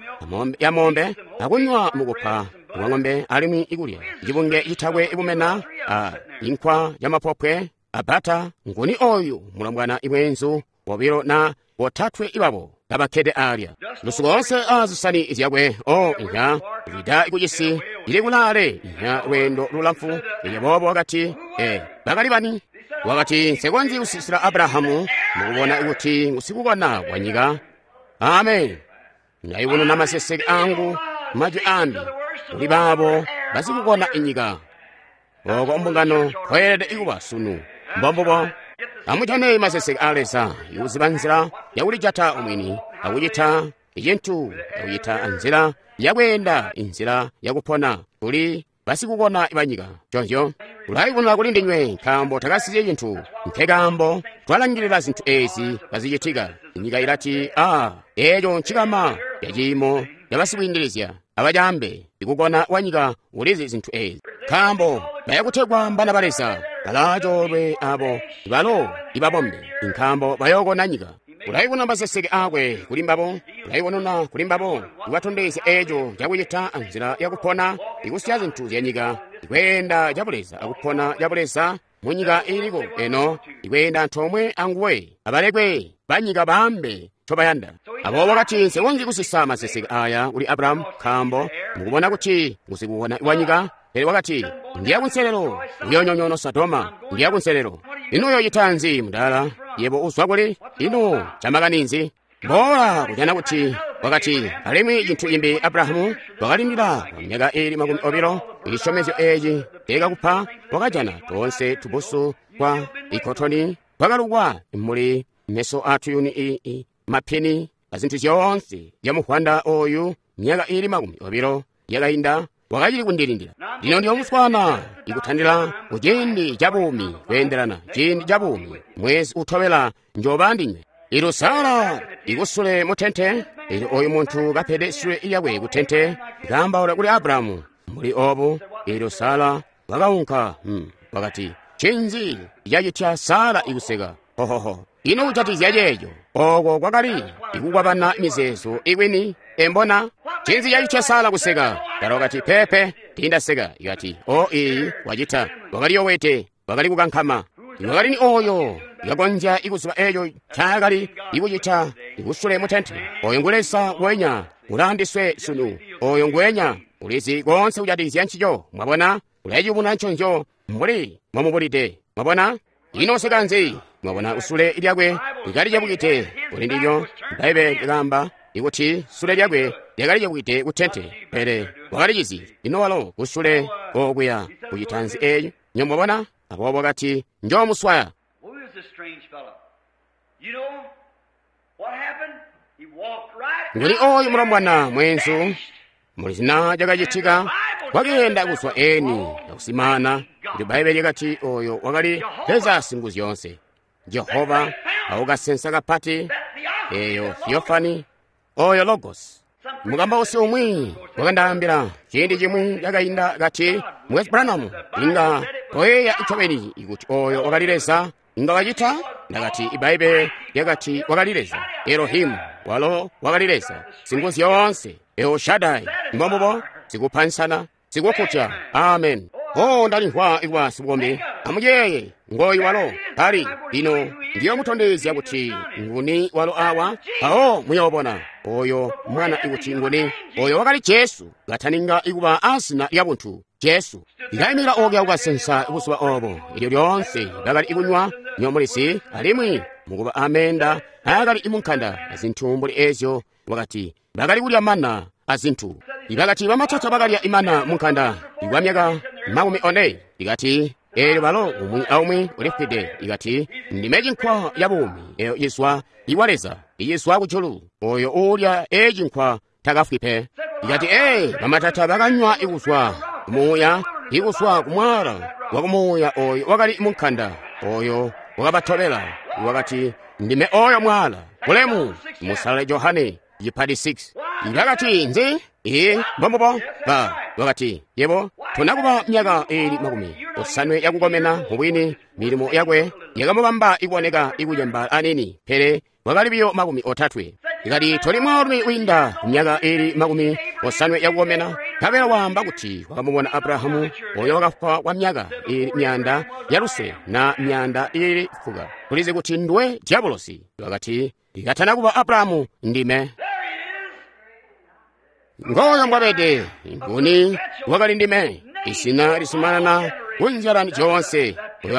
ya mombe akunywa mukupa wa ng'ombe, alimwi ikulya cibunge citakwe ibumena a inkwa yamapopwe abata. Nguni oyu mulombwana ibwenzu bobilo na botatwe ibabo kabakkede alya lusuku onse azisani zyakwe? O inya lida ikucisi ili kulaale inya lweendo lulamfu. Elyo boobo wakati, bakali bani? Wakati, nsekonzyi kusisila Abrahamu mukubona kuti ngusikukona wa nyika. Amen. Ndayubununa maseseke angu majwi ambi kuli baabo basikukona inyika. Oko mbungano kweelede ikuba sunu. Mbombubo. Amujane maseseke a Leza, ikuziba nzila yakulijata umwini, akucita icintu, akucita nzila yakweenda, inzila yakupona kuli basikukona banyika. Conzyo ulayibonera kuli ndinywe, nkaambo takasiye cintu. Nkekaambo twalangilila zintu ezi kazicitika. Inyika ilati, a eeco ncikama yaciimo yabasikwiindilizya abacambe. Ikukona kwa nyika ulizi zintu ezi, nkaambo bayakutegwa mbana ba Leza. Balaacoolwe abo balo ibabombe, nkaambo bayookona nyika. Ulayibona maseseke akwe kuli mbabo, ulayibonona kuli mbabo, ibatondezya eeco cakucita anzila yakupona, ikusiya zintu zyanyika, ikweenda cabuleza akupona cabuleza munyika iliko eno, ikweenda antoomwe anguwe. Abalekwe banyika baambe ncobayanda. Aboobo wakati, nsikonzyi kusisa maseseke aya kuli Abrahamu, nkaambo mukubona kuti ngusikukona wanyika. Pele wakati, ndiya kunselelo kuyoonyonyoona Sodoma, ndiya kunselelo. Ino uyoocita nzi mudala? Yebo uzwa kuli? Ino camakani nzi? Boola kujana kuti wakati, alimwi cintu cimbi Abrahamu wakalindila kwa myaka iili 20 icisyomezyyo eeci teekakupa. Wakajana toonse tubusu kwa ikotoni twakalukwa muli meso atuyuni mapini azintu zyoonse zyamuhwanda oyu. Myaka iili 20 yakainda, wakacili kundilindila. Lino ndiyomuswana ikutandila kuciindi ca buumi, kweendelana ciindi ca buumi, mwezi utobela njooba ndinywe. Elyo Sara ikusule mutente, elyo oyu muntu kapede sule lyakwe kutente, kaambaula kuli Abrahamu mbuli obu. Elyo Sara wakaunka, wakati, ncinzi cacitya Sara ikuseka? Hohoho! Ino kujatikizya ceeco? Oko kwakali ikukwabana mizeezo ikwini, embona? Ncinzi cacitya Sara kuseka? Sara wakati, pepe, tiindaseka. Ikati, o iyi wacita. Wakali yowete, wakali kukankama. Wakali ni oyo yakonzya ikuziba eeco ncaakali ikucita ikusule mutente. Oyo ngu Leza wenya ulaandiswe sunu. Oyo ngwenya ulizi koonse kujatikizya ncico. Mwabona, ulaciyubununa nconzyo mbuli mwamubulide. Mwabona, ino useka nzi? Mwabona, usule lyakwe likali cebukite kuli ndilyo. Bbaibbele likaamba ikuti sule lyakwe lyakali cebukite kutente, pele wakalicizi. Ino walo kusule okuya kucita nzi eeco? Nyo mwabona? Aboobo wakati, njoomuswaya. Nguli oyu mulombwana mweenzu, mulizina cakacitika, wakeenda kuzwa eni akusimana. Kuti Bbaibbele lyakati oyo wakali Leza Singuzyoonse, Jehova, aukasensa kapati, eyo Theophany, oyo Logos. Mukambausi umwi wakandaambila ciindi cimwi cakainda kati, Mukwesu Branham, inga toyeeya ncobeni kuti oyo wakali Leza, inga wacita? Ndakati, Ibbaibbele lyakati wakali Leza, Elohimu, walo wakali Leza, Singuzyoonse, El Shaddai, mbombubo, sikupansana, sikukutya. Amen. Oh, ndalimvwa ikuba sibukombi. Amuyeeye, ngoyu walo kali. Lino ndiyomutondezya kuti nguni walo awa, mpawo muyoobona oyo mwana ikuti nguni. Oyo wakali Jesu, kataninga ikuba azina lya buntu, Jesu. Ndayimikila okuya kukasensa buzuba obo, elyo lyoonse bakali ikunywa nyomulisi, alimwi mukuba amenda aakali imunkanda azintu mbuli ezyo. Wakati bakali kulya mana azintu. Ibakati bamatata bakalya imana munkanda ikwa myaka 40. Ikati eelyo balo umwi aumwi ulifwide. Ikati ndime cinkwa ya buumi eyo izwa iwa Leza, iyizwa kujulu. Oyo uulya ee cinkwa takafwi pe. Ikati ee bamatata bakanywa ikuzwa kumuuya, ikuzwa kumwaala wa kumuuya oyo wakali munkanda, oyo wakabatobela. Wakati ndime oyo mwaala. Bulemu musalale Johane cipati 6. Bakati nzi? Ee, mbombubo. Ba wakati, yebo tonakuba myaka iili 70 yakukomena. Mubwini milimo yakwe yakamubamba ikuoneka ikucembaala anini, pele wakali biyo 30. Ikati toli mwaalumi wiinda myaka iili 70 yakukomena, nkabela waamba kuti wakamubona Abrahamu oyo wakafwa kwa myaka iili 600 na 410. Tulizi kuti ndwe diabolosi. Wakati ikatana kuba Abrahamu ndime. Ngoyo mbwabede, nguni wakali ndime, isina lisumanana kunzyalani zyoonse. Oyo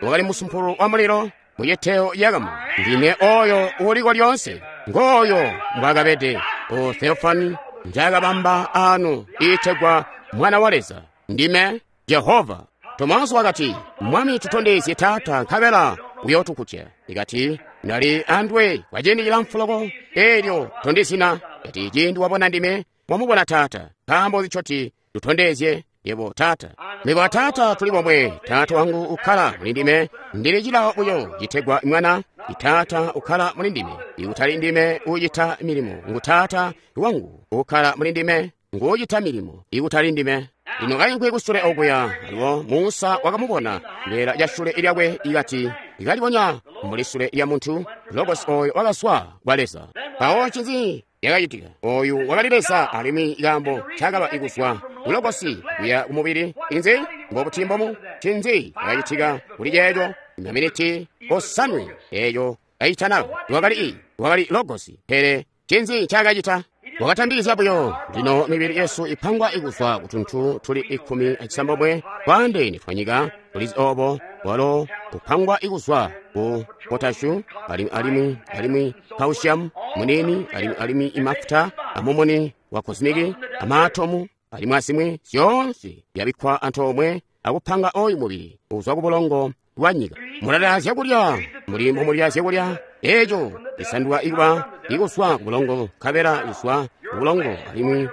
wakali musumpulu wa mulilo muciteyo yakamu. Ndime oyo uliko lyonse. Ngoyo mbwakabede o Theophany njakabamba anu iitegwa Mwana wa Leza. Ndime Jehova. Tomaso wakati, Mwami tutondezye Taata nkabela uyootukutya. Ikati ndali andwe kwa ciindi cilamfu loko, eelyo tondizina. Kati ciindi wabona ndime, wamubona Taata. Nkaambo nzi tutondezye yebo Taata? Mebo a Taata tuli bomwe. Taata wangu ukkala muli ndime, ndili cilawo buyo citegwa Mwana. Taata ukkala muli ndime, ikutali ndime uucita milimo. Ngu Taata wangu ukkala muli ndime, nguucita milimo, ikutali ndime. Lino kainkwi kusule okuya, alubo Musa wakamubona cibeela ca sule lyakwe ikati ikalibonya mbuli sule lya muntu, Logos oyo wakaswa kwa Leza. Mpawo ncinzi yakacitika? Oyu wakali Leza, alimwi kaambo cakaba ikuzwa ku Logosi kuya kumubili. Inzi mbobuti mbomu? Ncinzi yakacitika kuli ceeco? Maminiti 7 eeyo kaitana wakali i Wakali Logosi. Pele ncinzi ncaakacita? Wakatambikizya buyo. Lino mibili yesu ipangwa ikuzwa kutuntu tuli 16 twaandeene twanyika. Tulizi obo. Walo kupangwa ikuzwa ku potashu alimwi alimwi calcium munini alimwi alimwi imafuta amumuni wa cosmic amaatomu alimwi azimwi zyoonse zyabikkwa antoomwe akupanga oyu mubili uzwa ku bulongo bwa nyika. Mulalya zyakulya muli mbomulya zyakulya eeco cisanduka ikuba ikuzwa ku bulongo nkabela kuzwa ku bulongo alimwi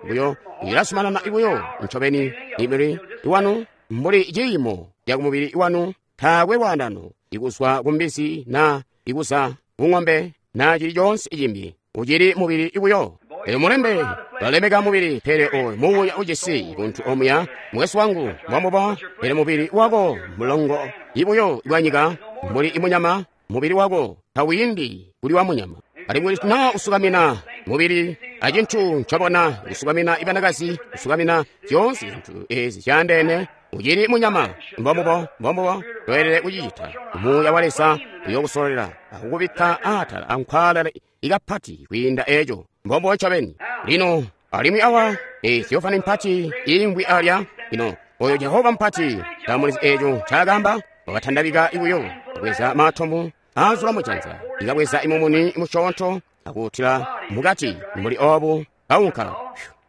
buyo ilasumanana buyo ncobeni. Mibili iwanu mbuli ciimo cakumubili iwanu taakwe lwaandano ikuzwa ku mbizi na ikuza ku ng'ombe na cili coonse cimbi, ucili mubili buyo. Elyo mulembe balemeka mubili, pele oyo muuya ujisi buntu omuya mukwesu wangu mbwambubo. Pele mubili wako mulongo ibuyo bwa nyika mbuli imunyama, mubili wako tawindi kuli wa munyama. Alimwi na usukamina mubili acintu ncobona, usukamina ibanakazi, usukamina zyoonse zintu ezi zyaandeene, ucili munyama. Mbombubo, mbombubo toelele kucicita. Muuya wa Leza uyokusololela akukubikka aatala ankwaalala ikapati kwiinda eco. Mbombubo ncobeni. Lino alimwi awa Theophany mpati iimvwi alya. Lino oyo Jehova mpati tamulizi eco ncaakamba. Wakatandabika ibuyo kubweza maatomu azula mujanza, ikabweza imumuni musyoonto akuutila mukati mbuli obu kaunka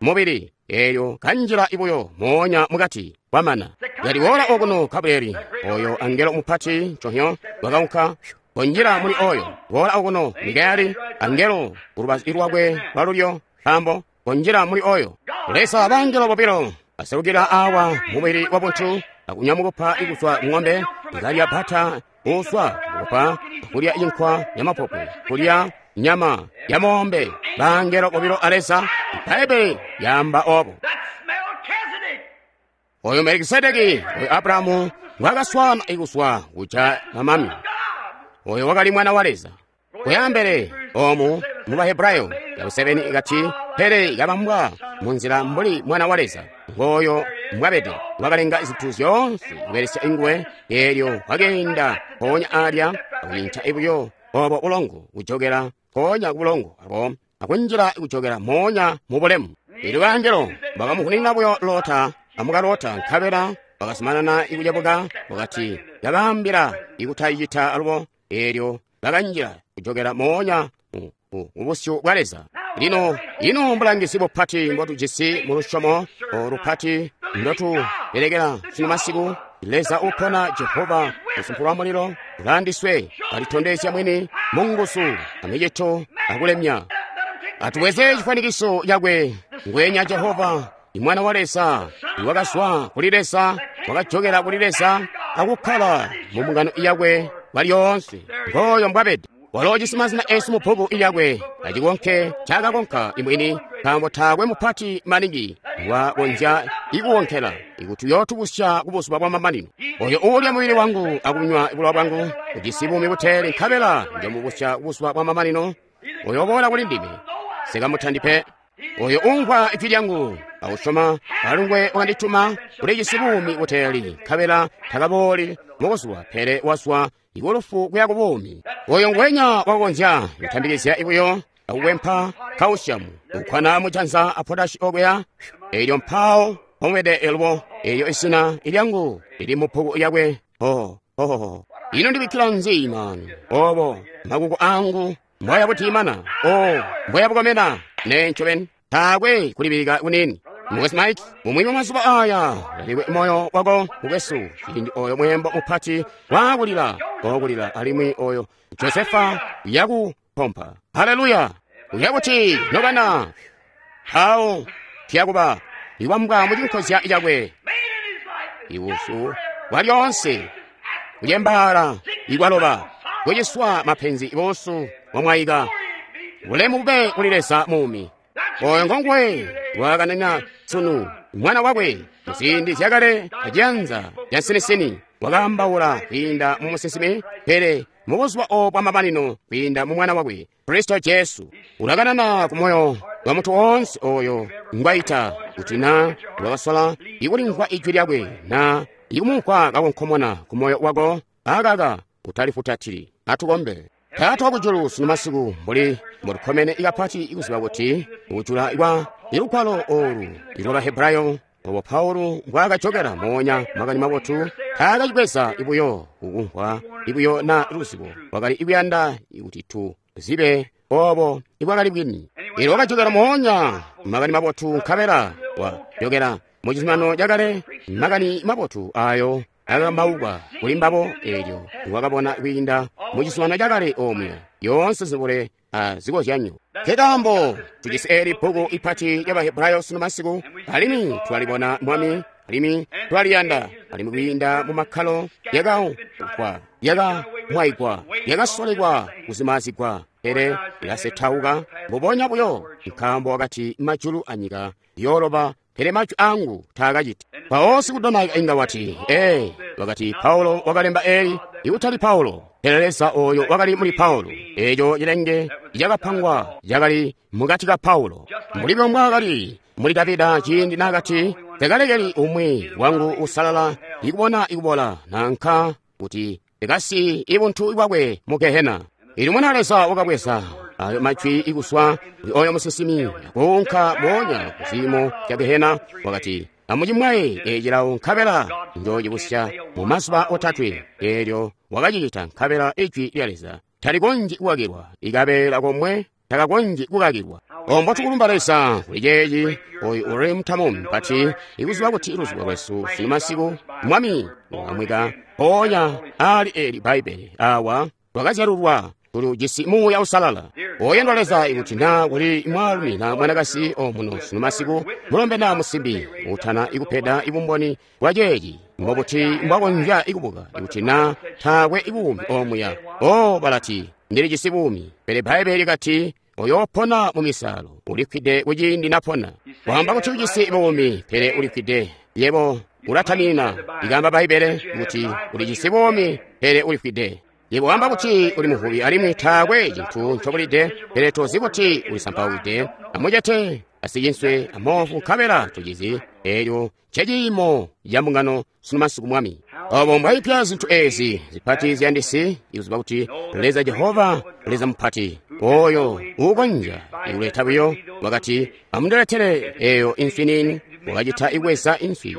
mubili eelyo kanjila ibuyo moonya mukati kwamana. Yaliwoola okuno Gabrieli oyo angelo mupati nconhyo wakaunka konjila muli oyo. Woola okuno Mikaeli angelo kulubazu lwakwe lwalulyo nkaambo konjila muli oyo. Leza bangelo bobilo baselukila awa mubili wa buntu akunyamukupa ikuzwa ng'ombe ikalya bata uswa kupa kulya inkwa yamapopwe kulya nyama ya mombe. Bangelo bobilo a Leza. Baibe yamba obo. Oyo Melikisedeki oyo Abrahamu ngwakaswana ikuswa kuja mamami. Oyo wakali mwana wa Leza. Kuyambele omu mu Bahebrayo yakusebeni ikati pele ikabambwa munzila mbuli mwana wa Leza. Ngoyo mbwabede wakalenga zintu zyoonse kubelesya inguwe. Eelyo wakeenda mpoonya alya akucinca ibuyo obo bulongo kujokela mpoonya kubulongo abo akunjila kujokela moonya mu bulemu. Eelyo bangelo bakamuhunina buyo Lota amukalota nkabela bakazumanana ikucebuka wakati yabaambila ikutayicita alubo. Eelyo bakanjila kujokela moonya mu busyu bwa Leza. Lino ino mbulangizi bupati mbotujisi mu lusyomo olupati ndotubelekela sunu masiku. Leza upona Jehova usumpulwa mulilo ulandiswe alitondezya mwini munguzu amicito akulemya. Atubweze chifanikiso chakwe ngwenya Jehova imwana wa Leza iwakazwa kuli Leza wakajokela kuli Leza akukkala mu mbungano yakwe lyoonse. Ngoyo mbwabede walo ujisi mazina esu mu bbuku lyakwe acikonke ncaakakonka imwini, nkaambo taakwe mupati maningi wakonzya ikuwonkela ikuti uyootubusya kubuzuba bwa mamanino. Oyo uulya mubili wangu akunywa bulowa bwangu ujisi buumi buteeli, nkabela njomubusya kubuzuba bwa mamanino. Oyo uboola kuli ndime sikamutandi pe. Oyo umvwa ijwi lyangu akusyoma alungwe wakandituma ulijisi buumi buteeli, nkabela takabooli mubuzuba, pele wazwa ikulufu kuya ku buumi. Oyo ngwenya wakukonzya kutambikizya ibuyo akukwempa kausiamu ukkwana mujanza a potashi okuya. Eelyo mpawo pomwede elubo eelyo isina ilyangu lili mu bbuku yakwe. Ho ho ino ndibikkila nzi mani obo makuko angu mbwaya butimana o mbwaya bukomena ne ncobeni taakwe kulibika kunini. Mukwesu Mike, mumwi wa mazuba aya lalikwe moyo wako mukwesu ciindi oyo mwembo mupati wakulila kokulila alimwi oyo Josefa yakupompa. Haleluya! Uyakuti nobana mpawo tiyakuba iwambwa mucinkozya cakwe ibusu bwalyoonse kulyembaala ikwaloba kuciswa mapenzi ibusu wamwaika. Bulemu bube kuli Leza muumi. Oyo ngonguwe wakanena sunu mwana wakwe muziindi zyakale aciyanza ca nsinisini wakaambaula kwiinda mu musinsimi, pele mubuzuba obu bwamamanino kwiinda mu mwana wakwe Kristo Jesu. Ulakanana ku moyo wa muntu woonse oyo ngwaita kuti na wakasola ikulimvwa ijwi lyakwe na ikumumvwa kakonkomona ku moyo wako. Akaka utalifutatili. Atukombe. Taata wakujulu, sunu masiku, mbuli mbotukkomene kapati kuziba kuti kujula kwa lugwalo olu lwa Bahebrayo, obo Paulo mbwaakajokela moonya makani mabotu, taakacibweza buyo kukumvwa buyo na luzibo, wakali kuyanda kuti tu zibe obo ibwakali bwini. Elyo wakajokela moonya makani mabotu, nkabela wajokela mu cizuminano cakale makani mabotu ayo akambaukwa kuli mbabo. Elyo wakabona kwiinda mu cizuminano cakale omuya yoonse zibule a zikozyanyo. Nkekaambo tujisi eli bbuku ipati lya Bahebrayo sunu masiku, alimwi twalibona Mwami, alimwi twaliyanda, alimwi kwiinda mu makkalo lyakaukwa, lyakamwaigwa, lyakasolekwa kuzimazigwa, pele lyasetauka mbubonya buyo, nkaambo wakati majulu anyika yooloba, pele majwi angu taakaciti. Mpawo sikudonaika inga wati, ee, wakati Paulo wakalemba eli, ikutali Paulo, pele Leza oyo wakali muli Paulo. Eco cilenge cakapangwa cakali mukati ka Paulo, mbuli mbwaakali muli Davida ciindi naakati, tekalekeli umwi wangu usalala ikubona ikubola, nanka kuti tekasi ibuntu bwakwe mu Gehena. Ili mwana Leza wakabweza ayo majwi ikuswa kuli oyo musinsimi kuunka moonya ku ziimo zya Gehena, wakati, amucimwaye ecilawo nkabela njoocibusya mu mazuba otatwe. Eelyo wakacicita, nkabela ijwi lya Leza talikonzyi kukakilwa, ikabeela komwe takakonzyi kukakilwa. Ombo tukulumba Leza kuli ceeci, oyu uli mutamo mupati, ikuziba kuti luzubo lwesu sunu masiku, Mwami ukamwika mpoonya ali eli Bbaibbele awa twakazyalulwa, tulijisi Muuya Uusalala. Oyandwa Leza, ikuti na kuli mwaalumi na mwanakazi omuno sunu masiku, mulombe na musimbi, utana ikupeda ibumboni bwa ceeci, mbobuti mbwakonzya ikubuka ikuti na taakwe ibuumi omuya? O balati, ndilijisi buumi, pele Bbaibbele likati uyoopona mu misalo, ulikwide kuciindi napona. Wamba kuti ujisi buumi, pele ulikwide. Yebo ulatamina, ikamba Bbaibbele kuti ulijisi buumi, pele ulikwide. Yebo wamba kuti uli muvubi alimwi taakwe cintu ncobulide, pele tozi kuti ulisampaulide, amucete, asicinswe, amofu, nkabela tucizi. Elyo nceciimo ca mbungano sunu masiku, Mwami. Obo mbwaipya zintu ezi zipati ziyandisi, ikuziba kuti Leza Jehova, Leza mupati, oyo uukonzya ikuleta buyo, wakati, amundiletele eyo inswi nini. Wakacita ikweza inswi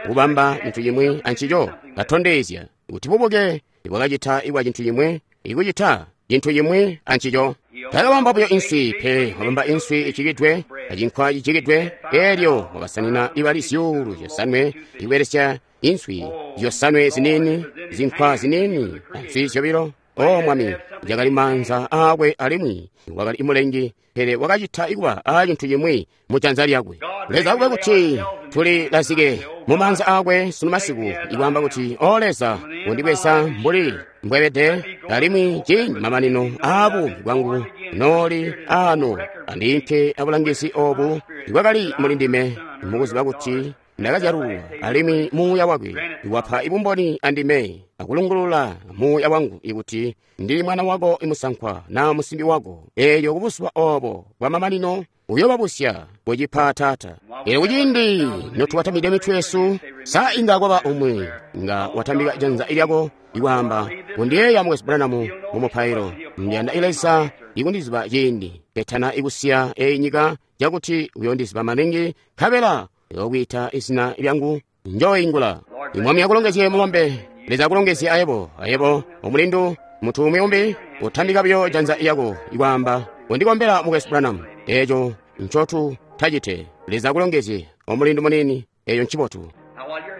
kubamba cintu cimwi ancico, katondezya kuti bubuke bwakacita ikwa cintu cimwi, ikucita cintu cimwi ancico. Takabamba buyo inswi, pele wabamba inswi icikidwe acinkwa cicikidwe. Elyo wakasanina ibali 5,000 ikubelesya inswi zyosanwe zinini, zinkwa zinini, answi zyobilo. O Mwami, cakali maanza aakwe alimwi wakali imulengi, pele wakacita ikuba a cintu cimwi mu janza lyakwe. Leza akube kuti tuli lazike mu maanza aakwe sunu masiku, ikwaamba kuti, O Leza, undibweza mbuli mbwebede, alimwi ciindi mamanino aabuumi bwangu nooli ano, andiimpe abulangizi obu ibwakali muli ndime, mukuziba kuti ndakazyalulwa, alimwi Muuya wakwe wapa ibumboni andime, akulungulula muuya wangu ikuti ndili mwana wako imusankwa na musimbi wako. Elyo kubusuba obo bwa mamanino uyobabusya kucipa Taata. Elyo kuciindi notuwatamide mitwe yesu, sa inga kwaba umwi nga watambika janza lyako ikwaamba, kundiyeeya Mukwesu Branham mu mupailo, ndiyanda Leza ikundiziba ciindi ketana ikusiya eyi nyika, cakuti uyondiziba maningi, nkabela uyokwiita izina lyangu, njoingula. Mwami akulongezye mulombe. Leza akulongezye ayebo, ayebo omulindu. Mutu umwi umbi utambika buyo janza lyako ikwaamba, undikombela Mukwesu Branham. Eco ncotu tacite. Leza akulongezye omulindu munini, eyo ncibotu.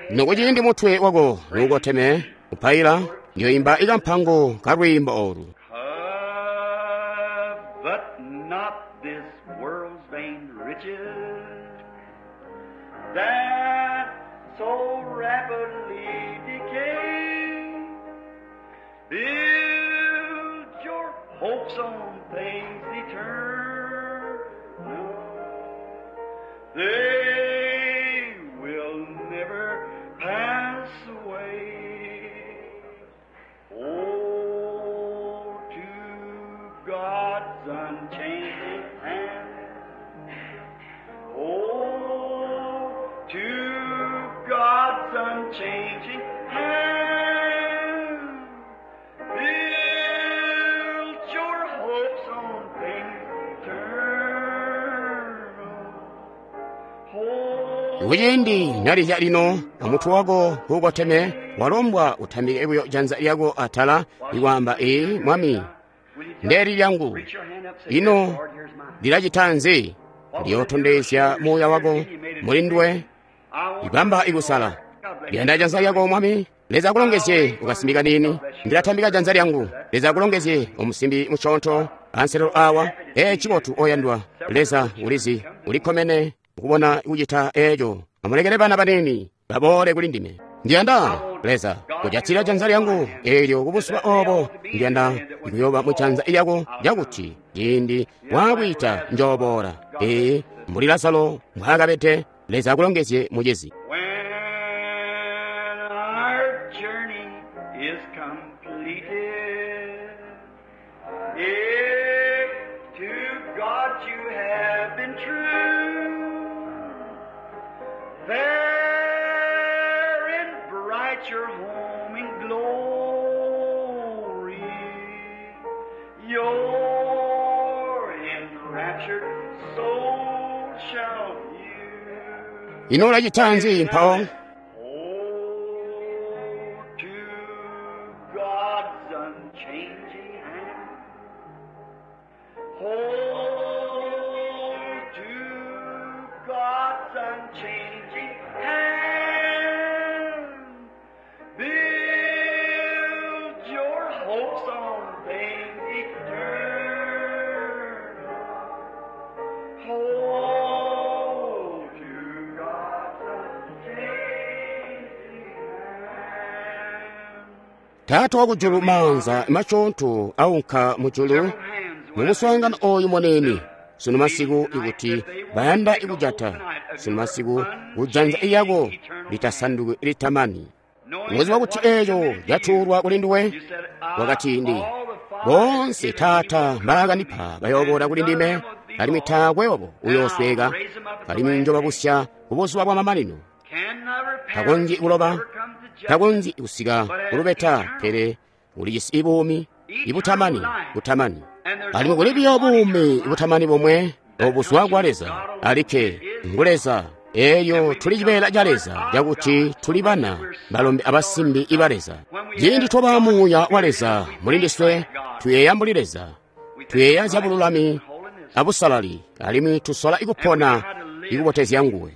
Nokuciindi mutwe wako nuukoteme upaila, ndiyoimba ikampango kalwiimbo olu. But not this world's vain riches that so rapidly decay. Build your hopes on things eternal. They will never pass away. Oh, to God's unchanging hand. Oh, to God's unchanging hand. Build things eternal. Hold Kuciindi nalizya lino amutwe wako kuukoteme walombwa utambike buyo janza lyako atala ikwaamba ee mwami Will you just ndeli lyangu reach your hand up, say, ino "Yes, Lord, here's mine." ndilacita nzi ndiyotondezya muuya wako muli nduwe ibamba ikusala ndiyanda janza lyako mwami leza akulongezye ukasimbi nini ndilatambika janza lyangu leza akulongezye omusimbi musyoonto anselelo awa ee cibotu oyandwa leza ulizi ulikkomene ukubona kucita eeco amulekele bana banini baboole kuli ndime ndiyanda leza kujatsila janza lyangu eelyo kubuzuba obo ndiyanda kuyoba mu janza lyako lyakuti ciindi waakwiita njooboola ee mbuli lazaro mbwaakabede leza akulongezye mucizi When our journey is completed, if to God you have been true, there in bright your home in glory, your enraptured soul shall view. ino ulacita nzi mpawo Hold to God's unchanging hand. Hold to God's unchanging hand. Build your hopes on things eternal. Hold to God's unchanging hand. taata wakujulu maanza machontho aunka mujulu mumuswaangano oyu moneni sunu masiku ikuti bayanda ikujata sunu masiku kujanza iyako litasanduki litamani muziba kuti eeco catuulwa kuli nduwe wakati ndi bonse taata mbaakandipa bayoboola kuli ndime alimwi taakwe obo uyoosweka alimwi njobabusya kubuzuba bwa mamanino takonzyi kuloba takonzyi kusika kulubeta pele ulijisi ibuumi ibutamani butamani alimwi kuli biyo buumi butamani bomwe obuzwa kwa leza alikke ngu leza eelyo tuli cibeela ca leza cakuti tuli bana balombe abasimbi iba leza ciindi twaba muuya wa leza muli ndiswe tuyeeya mbuli leza tuyeeya zya bululami abusalali alimwi tusola ikupona ikubotezya nguwe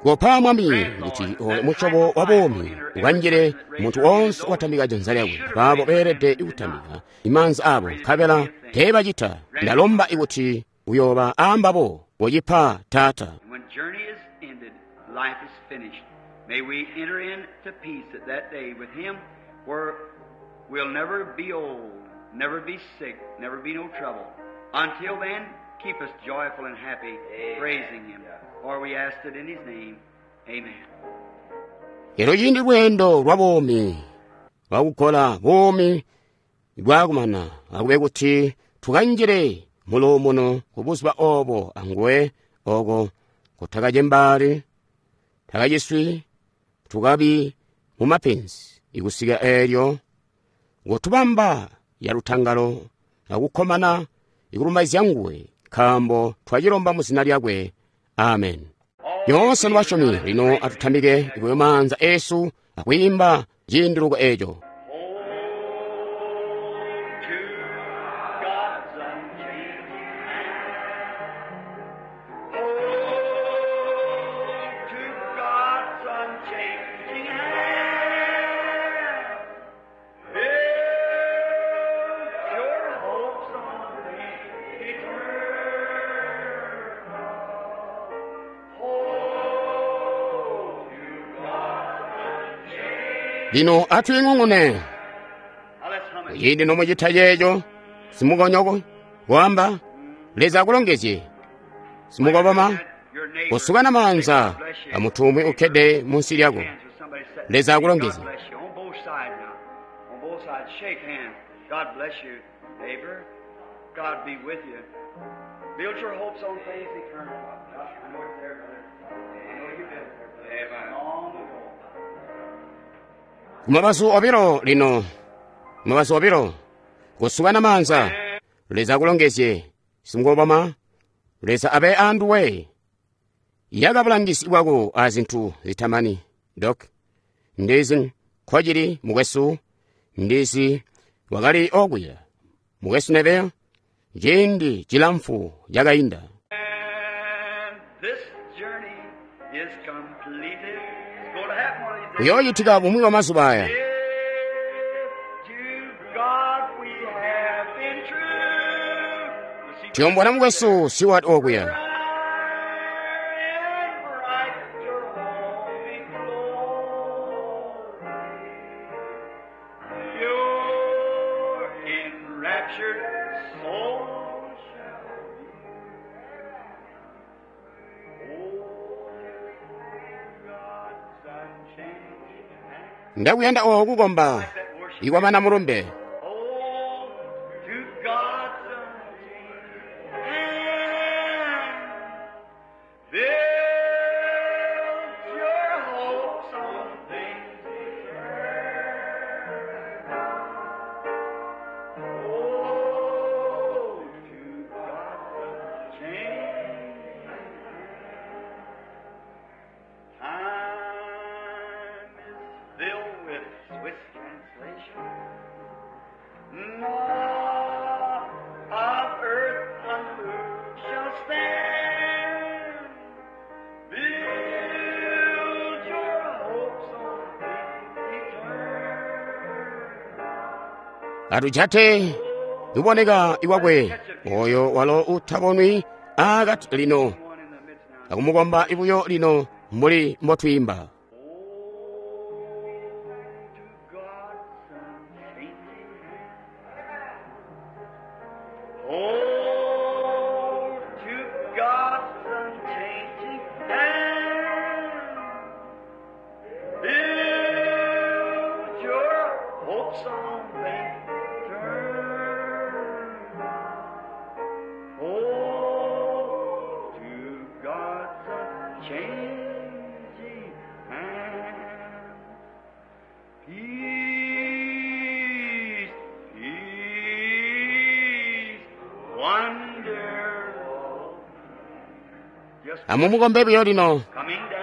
kopa mwami kuti oyo musyobo wa buumi ukanjile munthu wonse watambika janza lyakwe abaabo beelede ikutambika imaanza abo nkabela teebacita ndalomba ikuti uyooba aambabo wocipa taata And when journey is ended, life is finished. May we enter into peace at that day with Him where we'll never be old, never be sick, never be no trouble. Until then, keep us joyful and happy, praising Him. For we ask it in His name. Amen. lero ciindi lweendo lwa buumi lwakukola buumi bwakumana akube kuti tukanjile muluumuno kubuzuba obo anguwe oko kutakacembaali takaciswi tukabi mumapenzi ikusika eelyo ngotubamba yalutangalo akukkomana ikulumbaizya nguwe nkaambo twacilomba mu zina lyakwe amen yonse nibasyomi lino atutambike ikuyo maanza esu akuyimba ciinduluko eco Hold to God's unchanging hand. Hold to God's unchanging hand. Build your hopes on things eternal. Hold to God's unchanging. lino atuying'ung'une Now let's hum it. ciindi nomucita ceeco simukonyoko kuamba leza akulongezye simukoboma Your neighbor. kusukana maanza amunthu umwe ukhede munsi lyako Hands with somebody sitting. Leza akulongeze. God bless you. On both sides now. On both sides, shake hands. God bless you, neighbor. God be with you. Build your hopes on things eternal. I know it's there, brother. I know you've been there, brother. Long ago. kumabazu obilo lino kumabazu obilo kusukana maanza leza akulongezye Simukoboma, Leza abe anduwe. Yaka bulangizi bwako a zintu zitamani. Dok, ndizi nkocili mukwesu, ndizi wakali okuya. Mukwesu Neville, ciindi cilamfu cakainda. And this journey is completed. It's going to happen one of these days. Kuyoocitika bumwi bwa mazuba aya. If to God we have been true. Let's see. Tiyombona mukwesu Seward okuya. Bright and bright your home in glory. Your enraptured soul shall be. Oh, God's unchanging hand. Ndakuyanda oku kukomba ikwamana mulumbe. Oh, to God's unchanging hand. Build your hopes on things eternal. Oh, to God's unchanging hand. Time is filled with Swiss translation. Nor of earth unmoved shall stand. Build your hopes on things eternal. Atujate luboneka iwakwe oyo walo utabonwi akati lino One in the midst now. akumukomba ibuyo lino mbuli mbotwiimba. Oh, to God's unchanging hand. Oh, to God's unchanging hand. Build your hopes on things eternal. Oh, to God's unchanging hand. Peace, peace, wonderful. Just Amumukombe buyo lino coming down.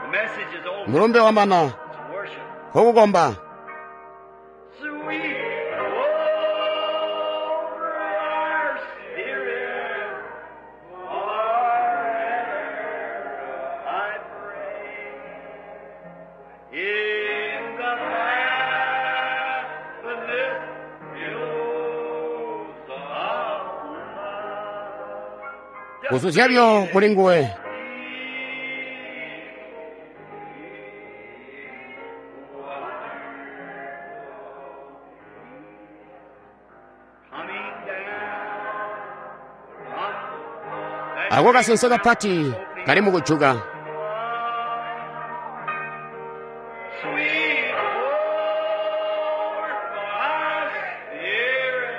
The message is over. mulumbe wamana It's worship. kokukomba. Sweet over our spirit forever, I pray. In the fathomless billows of love. Kuzuzya muli nguwe. Coming down from that Ako kasense kapati kali mukujuka. Sweet over my spirit,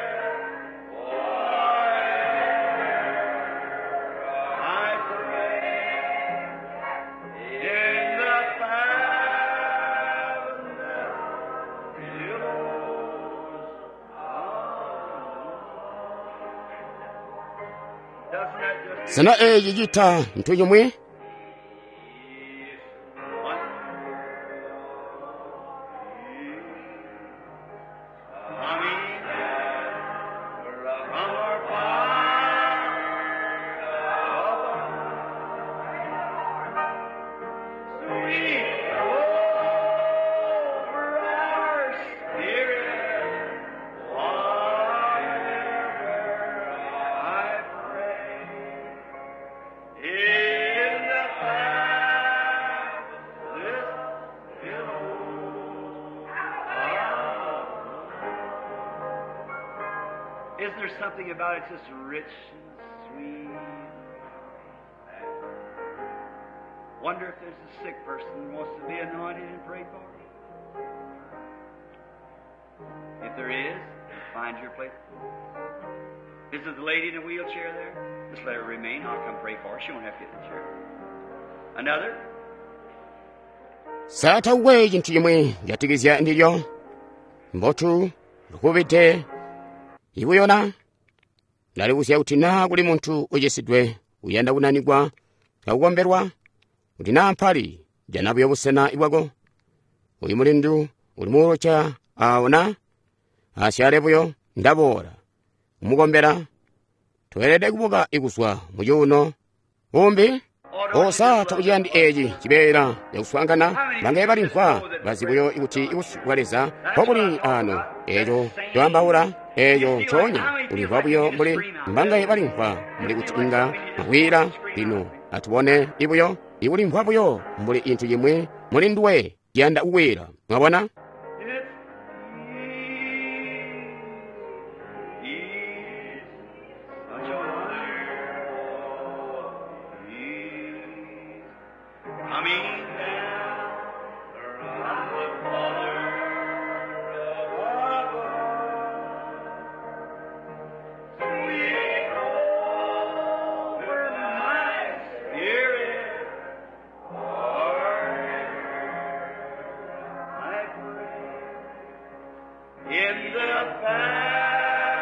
forever I pray. In the fathomless billows of love. Doesn't that just Sena eyi cita nthu chomwe In the fathomless billows of Isn't there something about it just rich and sweet? Wonder if there's a sick person who wants to be anointed and prayed for. If there is, find your place. Is it the lady in the wheelchair there? Just let her remain. I'll come pray for her. She won't have to get in the chair. Another? Satauwe chinthu chimwe chatikizya ndilyo mbotu lukupite Ibuyona ndalibuzya kuti naa kuli muntu ucisidwe uyanda kunanikwa akukombelwa, kuti naa mpali jana buyo busena bwako. Uyu mulindu uli muwheelchair awo na asyale buyo ndaboola kumukombela. Tweelede kubuka kuzwa mucuuno umbi. Osa takuciyandi eci cibeela cakuswaangana bangaye balimvwa bazi buyo kuti busyu bwa Leza mpobuli ano. Eco coambaula eco ncoonya ulimvwa buyo mbuli mbangaye balimvwa mbuli kuti inga mwakwiila. Lino atubone ibuyo ikulimvwa buyo mbuli cintu cimwi muli nduwe ciyanda kukwila. Mwabona? In the fathomless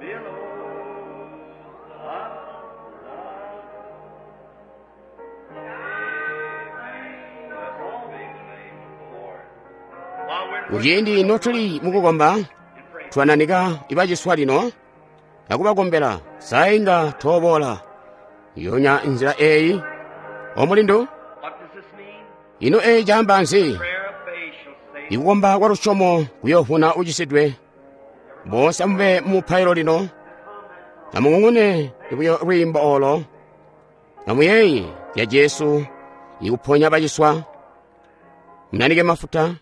billows of love. Kuciindi notuli mukukomba twananika ibaciswa lino akubakombela sainga toboola yonya nzila eyi. Omulindu, What does this mean? ino eyi caamba nzi? Prayer of faith shall save. Ikukomba kwa lusyomo kuyoovuna ucisidwe. Boonse amube mumupailo lino. Amung'ung'une buyo lwiimbo olo. Amuyeeye ya Jesu ikuponya baciswa. Munanike mafuta.